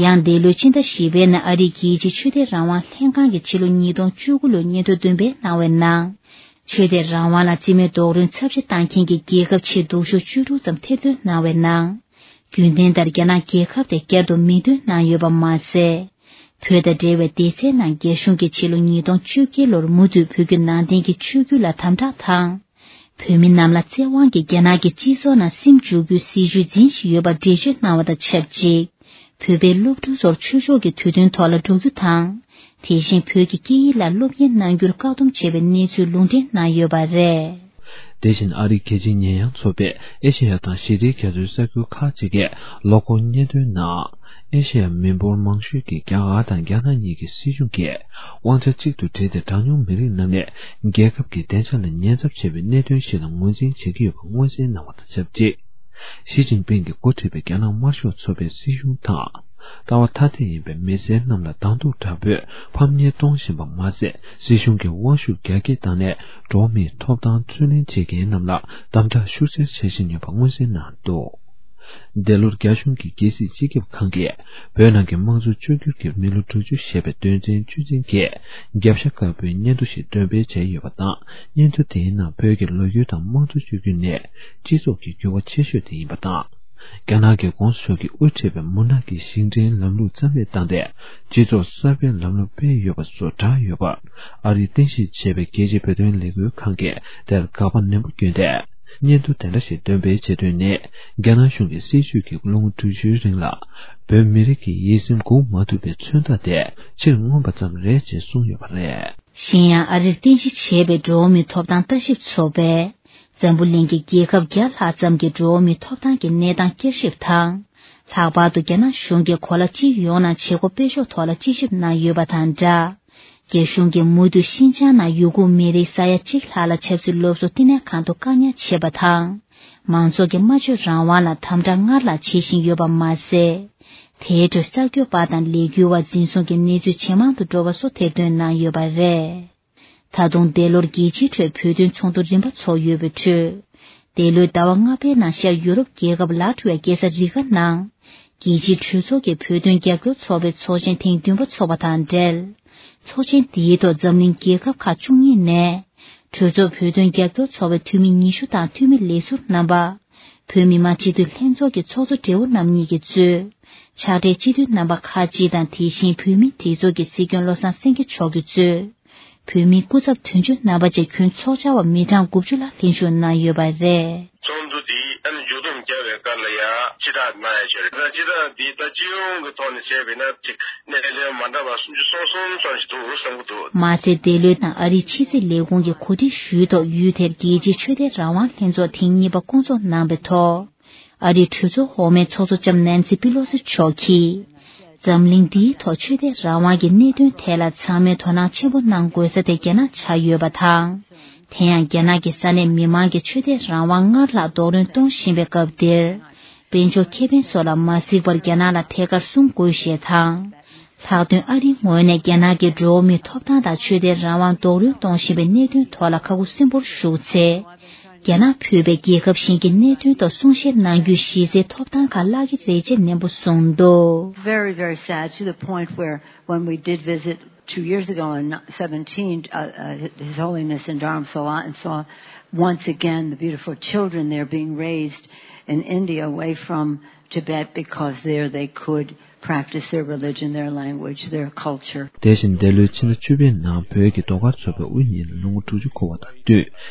ཡང་འདས་ལོའི་ཕྱི་ཟླ་བཞི་པའི་ནང་ཨ་རིའི་རྒྱལ་སྤྱིའི་ཆོས་དད་རང་དབང་ལྷན་ཁང་གིས་ཕྱི་ལོ་ཉིས་སྟོང་བཅུ་དགུ་ལོའི་སྙན་ཐོ་འདོན་སྤེལ་གནང་བའི་ནང་། ཆོས་དད་རང་དབང་ལ་རྩིས་མེད་རྡོག་རོལ་ཚབས་ཆེ་བཏང་མཁན་གྱི་རྒྱལ་ཁབ་ཆེས་སྡུག་ཤོས་བཅུ་དྲུག་ཙམ་ཐེར་འདོན་གནང་བའི་ནང་། རྒྱུན་ལྡན་ལྟར་རྒྱ་ནག་རྒྱལ་ཁབ་དེ་བསྐྱར་དུ་མིང་འདོན་གནང་ཡོད་པ་མ་ཟད། བོད་དང་འབྲེལ་བའི་སྡེ་ཚན་ནང་རྒྱ་གཞུང་གིས་ཕྱི་ལོ་ཉིས་སྟོང་བཅོ་བརྒྱད་ལོར་མུ་མཐུད་བོད་བརྒྱུད་ནང་བསྟན་གྱི་ཆོས་བརྒྱུད་ལ་དམ་དྲག་དང་། བོད་མི་རྣམས་ལ་བཙན་དབང་གིས་རྒྱ་ནག་གི་སྤྱི་ཚོགས་ནང་སིམ་འཇུག་རྒྱུའི་སྲིད་བྱུས་འཛིན་བཞིན་ཡོད་པར་འགྲེལ་བརྗོད་གནང་བ་དང་ཆབས་ཅིག་བོད་པའི་སློབ་ཕྲུག་ཚོར་ཆོས་ཕྱོགས་ཀྱི་དུས་སྟོན་ཐོག་ལ་འགྲོ་རྒྱུ་དང་། དེ་བཞིན་བོད་ཀྱི་སྐད་ཡིག་ལ་སློབ་གཉེར་གནང་རྒྱུར་བཀག་སྡོམ་བྱས་པའི་གནས་ཚུལ་ལུང་འདྲེན་གནང་ཡོད་པ་རེད། དེ་བཞིན་ཨ་རིའི་རྒྱལ་སྤྱིའི་ཉེས་ཡངས་ཚོགས་པས་ཨེ་ཤེ་ཡ་དང་ཞི་བདེའི་རྒྱ་མཚོའི་གསར་འགྱུར་ཁག་ཅིག་གི་ལོ་འཁོར་སྙན་ཐོའི་ནང་། ཨེ་ཤེ་ཡ་མི་འབོར་མང་ཤོས་ཀྱི་རྒྱ་གར་དང་རྒྱ་ནག་གཉིས་ཀྱི་སྲིད་གཞུང་གིས་དབང་ཆ་གཅིག་ཏུ་སྒྲིལ་ཏེ་གྲངས་ཉུང་མི་རིགས་རྣམས་ནས་རྒྱལ་ཁབ་ཀྱི་བདེ་འཇགས་ལ་ཉེན་ཚབས་ཆེ་བའི་གནད་དོན་ཞིག་ལ་ངོས་འཛིན་བྱེད་ཀྱི་ཡོད་པ་མངོན་གསལ་གནང་བ་དང་ཆབས་ཅིག་ཞི་ཅིན་ཕིང་གིས་འགོ་ཁྲིད་པའི་རྒྱ་ནག་དམར་ཤོག་ཚོགས་པའི་སྲིད་གཞུང་དང་། ལྟ་བ་ཐ་དད་ཡིན་པའི་མི་སེར་རྣམས་ལ་གདོང་ཐུག་དྲག་པོས་ཕམ་ཉེས་གཏོང་བཞིན་པ་མ་ཟད། སྲིད་གཞུང་གི་དབང་ཤུགས་རྒྱ་སྐྱེད་བཏང་ནས་འགྲོ་བ་མིའི་ཐོབ་ཐང་རྩོད་ལེན་བྱེད་མཁན་རྣམས་ལ་དམ་དྲག་ཤུགས་ཆེར་བྱེད་བཞིན་ཡོད་པ་མངོན་གསལ་གནང་འདུག་འདས་ལོར་རྒྱ་གཞུང་གི་རྒྱལ་སྲིད་སྤྱི་ཁྱབ་ཁང་གིས་བོད་ནང་གི་དམངས་གཙོ་བཅོས་བསྒྱུར་གྱི་མི་ལོ་དྲུག་ཅུ་ཞེས་པའི་དོན་ཚན་བཅུ་ཅན་གྱི་རྒྱབ་ཤ་དཀར་པོའི་སྙན་ཐོ་ཞིག་འདོན་སྤེལ་བྱས་ཡོད་པ་དང་། སྙན་ཐོ་དེའི་ནང་བོད་ཀྱི་ལོ་རྒྱུས་དང་དམངས་གཙོ་བཅོས་བསྒྱུར་ནི་སྤྱི་ཚོགས་ཀྱི་འགྱུར་བ་ཆེ་ཤོས་དེ་ཡིན་པ་དང་། རྒྱ་ནག་གི་གོང་ས་མཆོག་གིས་དབུ་ཁྲིད་པའི་མུན་ནག་གི་ཞིང་བྲན་ལམ་ལུགས་རྩ་མེད་བཏང་སྟེ། སྤྱི་ཚོགས་གསར་པའི་ལམ་ལུགས་སྤེལ་ཡོད་པ་སོགས་བསྒྲགས་ཡོད་པར། ཨ་རིའི་རྟེན་གཞི་བྱས་པའི་རྒྱལ་སྤྱིའི་བོད་དོན་ལས་འགུལ་ཁང་གིས་དེར་དགག་པ་ནན་པོ་བསྐྱོན་ཏེ། སྙན་ཐོ་དེ་འདྲ་ཞིག་འདོན་སྤེལ་བྱེད་དོན་ནི། རྒྱ་ནག་གཞུང་གི་སྲིད་བྱུས་ཀྱི་ལོ་ངོ་དྲུག་ཅུའི་རིང་ལ། བོད་མི་རིགས་ཀྱི་ཡིད་སེམས་འགུག་མ་ཐུབ་པའི་མཚོན་རྟགས་དེ་ཕྱིར་མངོན་པ་ཙམ་རེད་ཅེས་གསུངས་ཡོད་པ་རེད། གཞན་ཡང་ཨ་རིར་རྟེན་གཞི་བྱས་པའི་འགྲོ་བ་མིའི་ཐོབ་ཐང་ལྟ་ཞིབ་ཚོགས་པས། འཛམ་བུ་གླིང་གི་རྒྱལ་ཁབ་བརྒྱ་ལྷག་ཙམ་གྱི་འགྲོ་བ་མིའི་ཐོབ་ཐང་གི་གནས་སྟངས་བསྐྱར་ཞིབ་དང་། ལྷག་པར་དུ་རྒྱ་ནག་གཞུང་གིས་གོ་ལ་སྤྱི་ཡོངས་ནང་བྱེད་སྒོ་སྤེལ་ཕྱོགས་ཐོག་ལ་དཔྱད་ཞིབ་གནང་ཡོད་པ་དང་སྦྲགས། རྒྱ་གཞུང་གིས་མུ་མཐུད་ཤིན་ཅང་ནང་ཡུ་གུར་མི་རིགས་ས་ཡ་གཅིག་ལྷག་ལ་ཆབ་སྲིད་སློབ་གསོ་བསྟི་གནས་ཁང་དུ་བཀག་ཉར་བྱེད་པ་དང་། མང་ཚོགས་ཀྱི་སྨྲ་བརྗོད་རང་དབང་ལ་དམ་དྲག་སྔར་ལྷག་བྱེད་བཞིན་ཡོད་པ་མ་ཟད། དེའི་ཁྲོད་གསར་འགོད་པ་དང་ལས་འགུལ་བ་འཛིན་བཟུང་གི་གནས་ཚུལ་ཇེ་མང་དུ་འགྲོ་བ་སོགས་ཐེར་འདོན་གནང་ཡོད་པ་རེད། ད་དུང་འདས་ལོར་རྒྱལ་སྤྱིའི་ཁྲོད་བོད་དོན་ཚོགས་འདུ་རིམ་པ་ཚོགས་ཡོད་པའི་ཁྲོད། འདས་ལོའི་ཟླ་བ་ལྔ་པའི་ནང་ཤར་ཡུ་རོབ་རྒྱལ་ཁབ་ལ་ཊ་ཝི་ཡ་རྒྱལ་ས་རི་ག་ནང་། རྒྱལ་སྤྱིའི་གྲོས་ཚོགས་ཀྱི་བོད་དོན་རྒྱབ་སྐྱོར་ཚོགས་པའི་ཚོགས་ཆེན་ཐེངས་བདུན་པ་འཚོགས་པ་དང་འབྲེལ། ཚོགས་ཆེན་འདིའི་ཐོག་འཛམ་གླིང་རྒྱལ་ཁབ་ཁག་བཅུ་གཉིས་ནས། གྲོས་ཚོགས་བོད་དོན་རྒྱབ་སྐྱོར་ཚོགས་པའི་འཐུས་མི་ཉི་ཤུ་དང་འཐུས་མི་ལས་ཟུར་རྣམ་པ། བོད་མི་མང་སྤྱི་འཐུས་ལྷན་ཚོགས་ཀྱི་ཚོགས་གཙོ་སྦྲེལ་པོ་རྣམ་གཉིས་ཀྱིས་གཙོས། ཕྱག་སྦྲེལ་སྤྱི་འཐུས་རྣམ་པ་ཁག་ཅིག་དང་དེ་བཞིན་བོད་མིའི་སྒྲིག་འཛུགས་ཀྱི་སྲིད་སྐྱོང་བློ་བཟང་སེང་གེ་མཆོག་གིས་གཙོས། བོད་མིའི་སྐུ་ཚབ་དོན་གཅོད་རྣམ་པ་བཅས་ཁྱོན་ཚོགས་བཅར་བ་མི་གྲངས་དགུ་བཅུ་ལ་ལྷན་ཞུགས་གནང་ཡོད་པ་རེད། ཚོགས་འདུ་འདིའི་ཨ་ནི་མཇུག་བསྡོམས་བརྒྱབ་པའི་སྐབས་ལ་ཡང་སྤྱི་བསྒྲགས་གནང་ཡ་ཆེད་རེད། སྤྱི་བསྒྲགས་འདི་ད་སྤྱི་ཡོངས་ཀྱི་ཐོག་ནས་བྱས་པ་ཡིན་ན་ཅིག་གནད་དོན་མ་འདྲ་བ་སུམ་ཅུ་སོ་གསུམ་ཙམ་ཞིག་འདུག་བསམ་གྱི་འདུག་མ་ཟད་འདི་ལོའི་ནང་ཨ་རིའི་ཕྱི་སྲིད་ལས་ཁུངས་ཀྱིས་གོ་སྒྲིག་ཞུས་ཐོག་ཡུལ་དེར་རྒྱལ་སྤྱིའི་ཆོས་དད་རང་དབང་ལྷན་ཚོགས་ཐེངས་གཉིས་པ་བསྐོང་ཚོགས་གནང་བའི་ཐོག་ཨ་རིའི་གྲོས་ཚོགས་འོག་མའི་ཚོགས་གཙོ་ལྕམ་ནན་སི་པི་ལོ་སི་མཆོག་གིས། འཛམ་གླིང་འདིའི་ཐོག་ཆོས་དད་རང་དབང་གི་གནད་དོན་ཐད་ལ་ཚང་མས་དོ་སྣང་ཆེན་པོ་གནང་དགོས་ས་དེ་རྒྱ་ནག་ཆགས་ཡོད་པ་དང་། དེ་ཡང་རྒྱ་ནག་གི་ས་གནས་མི་མང་གི་ཆོས་དད་རང་དབང་སྔར་ལྷག་རྡོག་རོལ་གཏོང་བཞིན་པའི་སྐབས་འདིར། དཔལ་འབྱོར་ཁེ་ཕན་སོགས་ལ་མ་གཟིགས་པར་རྒྱ་ནག་ལ་ཐད་ཀར་སྲུང་དགོས་ཞེས་དང་། ལྷག་དོན་ཨ་རིའི་ངོས་ནས་རྒྱ་ནག་གི་འགྲོ་བ་མིའི་ཐོབ་ཐང་དང་ཆོས་དད་རང་དབང་རྡོག་རོལ་གཏོང་བཞིན་པའི་གནད་དོན་ཐོག་ལ་ཁ་ཁུ་སིམ་པོར་བཞུགས་ཚེ། རྒྱ་ནག་ཕུད་པའི་རྒྱལ་ཁབ་གཞན་གྱི་གནད་དོན་ཐོག་གསུང་བཤད་གནང་རྒྱུའི་གཞི་རྩའི་ཐོབ་ཐང་ཁག་བརླག་གི་རེད་ཅེས་ནན་པོ་གསུངས་འདུག Very, very sad to the point where when we did visit two years ago in seventeen, uh, uh, His Holiness in Dharamsala and saw once again the beautiful children there being raised in India away from Tibet because there they could practice their religion, their language, their culture. དེ་བཞིན་འདས་ལོའི་ཕྱི་ཟླ་བཅུ་པའི་ནང་བོད་ཀྱི་ཟློས་གར་ཚོགས་པའི་དབུ་བརྙེས་ནས་ལོ་ངོ་དྲུག་ཅུ་འཁོར་བ་དང་བསྟུན།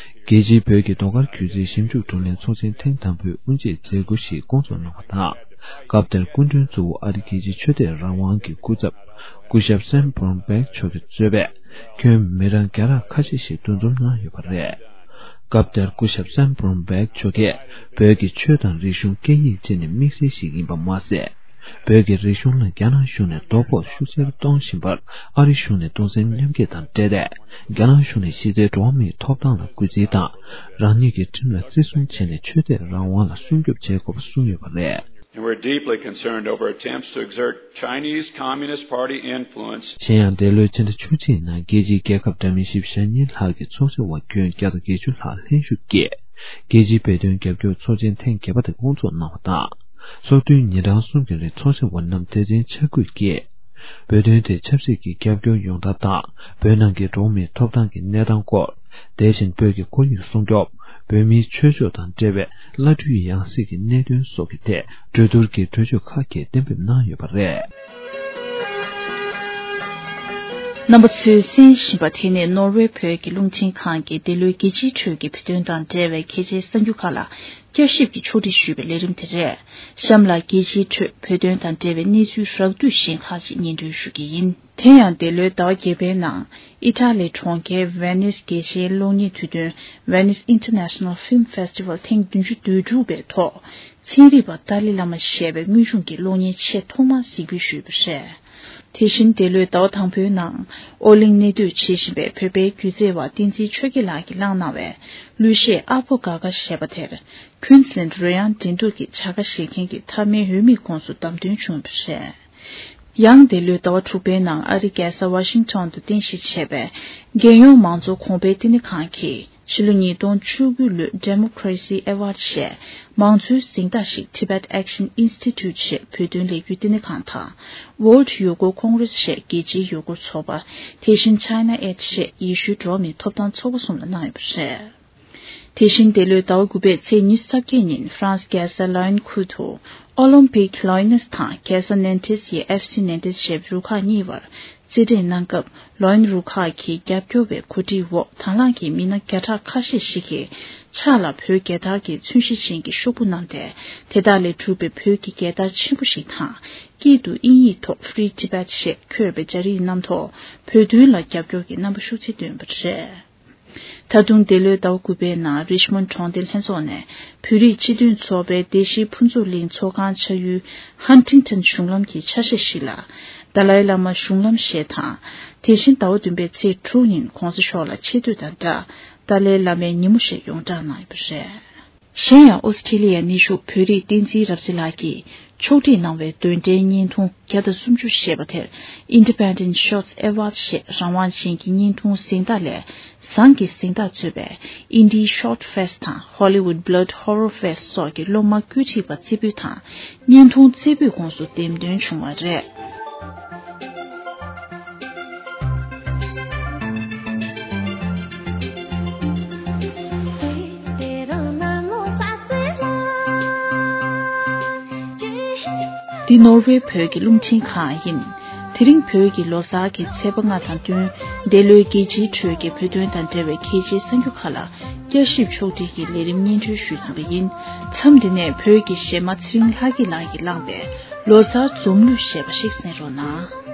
རྒྱལ་སྤྱིའི་བོད་ཀྱི་ཟློས་གར་སྒྱུ་རྩལ་ཞིབ་འཇུག་བགྲོ་གླེང་ཚོགས་ཆེན་ཐེངས་དང་པོའི་དབུ་འབྱེད་མཛད་སྒོ་ཞིག་བསྐོང་ཚོགས་གནང་བ་དང་། སྐབས་དེར་སྐུ་མགྲོན་གཙོ་བོ་ཨ་རི་རྒྱལ་སྤྱིའི་ཆོས་དད་རང་དབང་གི་སྐུ་ཚབ་སྐུ་ཞབས་སན་བྷོན་བྷེག་མཆོག་གིས་གཙོས་པའི་ཁྱོན་མི་གྲངས་བརྒྱ་ཕྲག་ཁ་ཤས་ཤིག་འདུ་འཛོམས་གནང་ཡོད་པ་རེད། སྐབས་དེར་སྐུ་ཞབས་སན་བྷོན་བྷེག་མཆོག་གིས་བོད་ཀྱི་ཆོས་དང་རིག་གཞུང་སྐད་ཡིག་བཅས་ནི་དམིགས་བསལ་ཞིག་ཡིན་པ་མ་ཟད། བོད་ཀྱི་རིག་གཞུང་ལ་རྒྱ་ནག་གཞུང་ནས་དོ་ཕོག་ཤུགས་ཆེར་གཏོང་བཞིན་པར་ཨ་རི་གཞུང་ནས་གདུང་སེམས་མཉམ་སྐྱེད་དང་འབྲེལ་ཏེ། རྒྱ་ནག་གཞུང་ནས་གཞི་རྩའི་འགྲོ་བ་མིའི་ཐོབ་ཐང་ལ་གུས་བརྩི་དང་། རང་ཉིད་ཀྱི་ཁྲིམས་ལ་བརྩི་སྲུང་བྱས་ནས་ཆོས་དད་རང་དབང་ལ་སྲུང་སྐྱོབ་བྱེད་དགོས་པ་གསུངས་ཡོད་པ་རེད། And we're deeply concerned over attempts to exert Chinese Communist Party influence. གཞན་ཡང་འདས་ལོའི་ཕྱི་ཟླ་བཅུ་གཅིག་ནང་རྒྱལ་སྤྱིའི་རྒྱལ་ཁབ་འདྲ་མིན་བཞི་བཅུ་ཞེ་གཉིས་ལྷག་གི་ཚོགས་བཞུགས་པ་ཁྱོན་བརྒྱ་དང་བརྒྱད་ཅུ་ལྷག་ལྷན་ཞུགས་ཀྱིས། རྒྱལ་སྤྱིའི་བོད་དོན་རྒྱབ་སྐྱོར་ཚོགས་ཆེན་ཐེངས་བརྒྱད་པ་དེ་བསྐོང་ཚོགས་གནང་བ་དང་། ཚོགས་དུས་ཉིན་གྲངས་གསུམ་གྱི་རིང་ཚོགས་བཞུགས་པ་རྣམས་དད་ཅན་ཆ་བགོས་ཀྱིས། བོད་དོན་དེ་ཆབ་སྲིད་ཀྱི་རྒྱབ་སྐྱོར་ཡོང་ཐབས་དང་། བོད་ནང་གི་འགྲོ་བ་མིའི་ཐོབ་ཐང་གི་གནས་སྟངས་སྐོར། དེ་བཞིན་བོད་ཀྱི་ཁོར་ཡུག་སྲུང་སྐྱོབ། བོད་མིའི་ཆོས་ཕྱོགས་དང་འབྲེལ་བའི་བླ་སྤྲུལ་ཡང་སྲིད་ཀྱི་གནད་དོན་སོགས་ཀྱི་ཐད་གྲོས་བསྡུར་གྱི་གྲོས་ཆོད་ཁག་ཅིག་གཏན་འབེབས་གནང་ཡོད་པ་རེད། རྣམ་པ་ཚོས་གསན་བཞིན་པ་དེ་ནི་ནོར་ཝེ་བོད་ཀྱི་རླུང་འཕྲིན་ཁང་གིས་འདི་ལོའི་རྒྱལ་སྤྱིའི་ཁྲོད་ཀྱི་བོད་དོན་དང་འབྲེལ་བའི་གལ་ཆེའི་གསར་འགྱུར་ཁག་ལ་བསྐྱར་ཞིབ་ཀྱིས་ཕྱོགས་སྒྲིག་ཞུས་པའི་ལས་རིམ་དེ་རེད། གཤམ་ལ་རྒྱལ་སྤྱིའི་ཁྲོད་བོད་དོན་དང་འབྲེལ་བའི་གནས་ཚུལ་རགས་བསྡུས་གཞན་ཁག་ཅིག་སྙན་སྒྲོན་ཞུ་གི་ཡིན། དེ་ཡང་འདས་ལོའི་ཟླ་བ་བརྒྱད་པའི་ནང་ཨི་ཊ་ལི་གྲོང་ཁྱེར་ཝེ་ནིས་རྒྱལ་སྤྱིའི་གློག་བརྙན་དུས་སྟོན་Venice International Film Festival ཐེངས་བདུན་ཅུ་དོན་དྲུག་པའི་ཐོག་ཚན་རིག་པ་ཏཱ་ལའི་བླ་མ་ཞེས་པའི་དངོས་བྱུང་གི་གློག་བརྙན་ཆེས་ཐོག་མར་གཟིགས་འབུལ་ཞུས་པ་རེད། དེ་བཞིན་འདས་ལོའི་ཟླ་བ་དང་པོའི་ནང་ཨོ་གླིང་གནས་སྡོད་བྱེད་བཞིན་པའི་བོད་པའི་སྒྱུ་རྩལ་བ་བསྟན་འཛིན་ཆོས་རྒྱལ་ལགས་ཀྱིས་བླངས་གནང་བའི་གླུ་གཞས་ཨ་ཕོ་དགའ་དགའ་ཞེས་པ་དེར་ཀུན་སི་ལན་རོལ་དབྱངས་འགྲན་བསྡུར་གྱི་བྱ་དགའ་བཞེས་མཁན་གྱི་མཐའ་མའི་འོས་མིའི་ཁོངས་སུ་བདམས་ཐོན་བྱུང་བ་རེད། ཡང་འདས་ལོའི་ཟླ་བ་དྲུག་པའི་ནང་ཨ་རིའི་རྒྱལ་ས་ཝ་ཤིང་ཊོན་དུ་རྟེན་གཞི་བྱས་པའི་རྒྱལ་ཡོངས་མང་གཙོ་གོང་འཕེལ་བསྟི་གནས་ཁང་གིས་ཕྱི་ལོ་ཉིས་སྟོང་བཅུ་དགུ་ལོའི་Democracy Award ཞེས་མང་གཙོའི་གཟེངས་རྟགས་ཤིག་Tibet Action Institute ཞེས་བོད་དོན་ལས་འགུལ་བསྟི་གནས་ཁང་དང་། World Uyghur Congress ཞེས་རྒྱལ་སྤྱིའི་ཡུ་གུར་ཚོགས་པ། དེ་བཞིན་China Aid ཞེས་ཡེ་ཤུའི་འགྲོ་བ་མིའི་ཐོབ་ཐང་ཚོགས་པ་གསུམ་ལ་གནང་ཡོད་པ་རེད། དེ་བཞིན་འདས་ལོའི་ཟླ་བ་དགུ་པའི་ཚེས་ཉི་ཤུ་རྩ་བརྒྱད་ཉིན་ཧྥ་རན་སི་རྒྱལ་ས་ལ་ཡོན་ཁུལ་དུ་ཨོ་ལིམ་པིག་ལ་ཡོ་ནེས་དང་རྒྱལ་ས་ནན་ཏིས་ཡི་ཨེཕ་སི་ནན་ཏིས་ཞེས་པའི་རུ་ཁག་གཉིས་བར་རྩེད་འགྲན་གནང་སྐབས། ལ་ཡོན་རུ་ཁག་གི་རྒྱབ་སྐྱོར་བའི་གོ་སྒྲིག་འོག་དང་བླངས་ཀྱིས་མི་སྣ་བརྒྱ་ཕྲག་ཁ་ཤས་ཤིག་གིས་ཕྱག་ལ་བོད་རྒྱལ་དར་གྱི་ཚོན་གཞི་ཅན་གྱི་ཤོག་བུ་བསྣམས་ཏེ། དེ་དག་ལས་གྲུབ་པའི་བོད་ཀྱི་རྒྱལ་དར་ཆེན་པོ་ཞིག་དང་། དཀྱིལ་དུ་དབྱིན་ཡིག་ཐོག་Free Tibet ཞེས་འཁོད་པའི་སྦྱར་ཡིག་རྣམ་ཐོག་བོད་དོན་ལ་རྒྱབ་སྐྱོར་གྱི་རྣམ་པ་ཤུགས་ཆེ་བཏོན་པ་རེད། ད་དུང་འདས་ལོའི་ཟླ་བ་དགུ་པའི་ནང་རིཆ་མོན་གྲོང་སྡེ་ལྷན་ཚོགས་ནས་བོད་རིགས་སྤྱི་མཐུན་ཚོགས་པའི་སྡེ་བཞིའི་ཕུན་ཚོགས་གླིང་ཚོགས་ཁང་ཆགས་ཡུལ་ཧན་ཊིང་ཊོན་གཞུང་ལམ་གྱི་ཆ་ཤས་ཤིག་ལ་ཏཱ་ལའི་བླ་མ་གཞུང་ལམ་ཞེས་དང་། དེ་བཞིན་ཟླ་བ་བདུན་པའི་ཚེས་དྲུག་ཉིན་གོང་ས་མཆོག་ལ་ཆེ་བསྟོད་དང་སྦྲགས་ཏཱ་ལའི་བླ་མའི་ཉིན་མོ་ཞེས་ཡོངས་གྲགས་གནང་ཡོད་པ་རེད། གཞན་ཡང་ཨོ་སི་ཁྲི་ལི་ཡའི་གནས་བཞུགས་བོད་རིགས་བསྟན་འཛིན་རབ་གསལ་ལགས་ཀྱིས་ཕྱོགས་སྒྲིག་གནང་བའི་འདོན་འགྲེལ་བརྙན་ཐུང་བརྒྱ་དང་སུམ་ཅུ་ཞེས་པ་དེར་Independent Shorts Awards ཞེས་རང་དབང་ཅན་གྱི་བརྙན་ཐུང་གཟེངས་རྟགས་ལས་བཟང་གི་གཟེངས་རྟགས་གཙོས་པའི་Indie Short Fest དང་Hollywood Blood Horror Fest སོགས་ཀྱི་སློབ་མ་བཀོད་སྒྲིག་པ་རྩེ་ཕུད་དང་བརྙན་ཐུང་རྩེ་ཕུད་ཁོངས་སུ་འདེམས་ཐོན་བྱུང་བ་རེད། འདི་ནོར་ཝེ་བོད་ཀྱི་རླུང་འཕྲིན་ཁང་ཡིན། དེ་རིང་བོད་ཀྱི་ལོ་གསར་གྱི་ཚེས་པ་ལྔ་དང་བསྟུན། འདས་ལོའི་རྒྱལ་སྤྱིའི་ཁྲོད་ཀྱི་བོད་དོན་དང་འབྲེལ་བའི་གལ་ཆེའི་གསར་འགྱུར་ཁག་ལ་བསྐྱར་ཞིབ་ཕྱོགས་སྒྲིག་གི་ལས་རིམ་སྙན་སྒྲོན་ཞུས་ཟིན་པ་ཡིན། མཚམས་འདི་ནས་བོད་ཀྱི་གཞས་མ་ཚེ་རིང་ལྷ་སྐྱིད་ལགས་ཀྱིས་བླངས་པའི་ལོ་གསར་འཛོམས་གླུ་ཞེས་པ་ཞིག་གསན་རོགས་གནང་།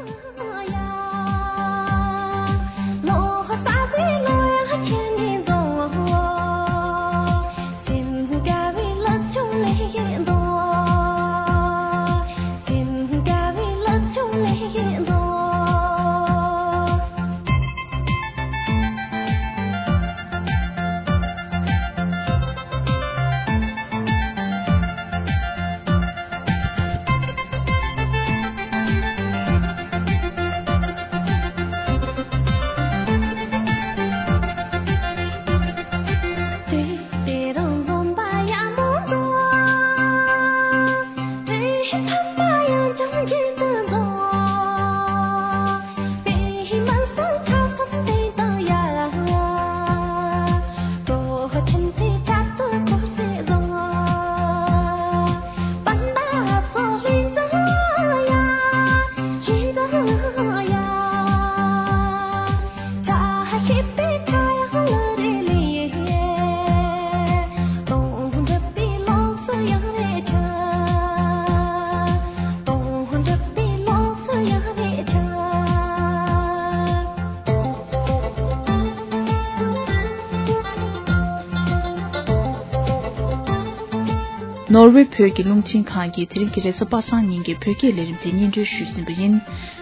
ནོར་ཝེ་བོད་ཀྱི་རླུང་འཕྲིན་ཁང་གིས་དེ་རིང་གི་རེས་གཟའ་པ་སངས་ཉིན་གྱི་བོད་སྐད་ལས་རིམ་དེ་སྙན་སྒྲོན་ཞུས་ཟིན་པ་ཡིན།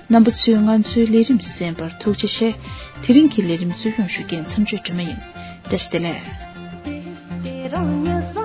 རྣམ་པ་ཚོས་ང་ཚོའི་ལས་རིམ་གསན་པར་ཐུགས་རྗེ་ཆེ། དེ་རིང་གི་ལས་རིམ་སྲོལ་ཡོང་ཞུ་མཁན་མཚམས་གཅོད་སྒྲོལ་མ་ཡིན། བཀྲ་ཤིས་བདེ་ལེགས།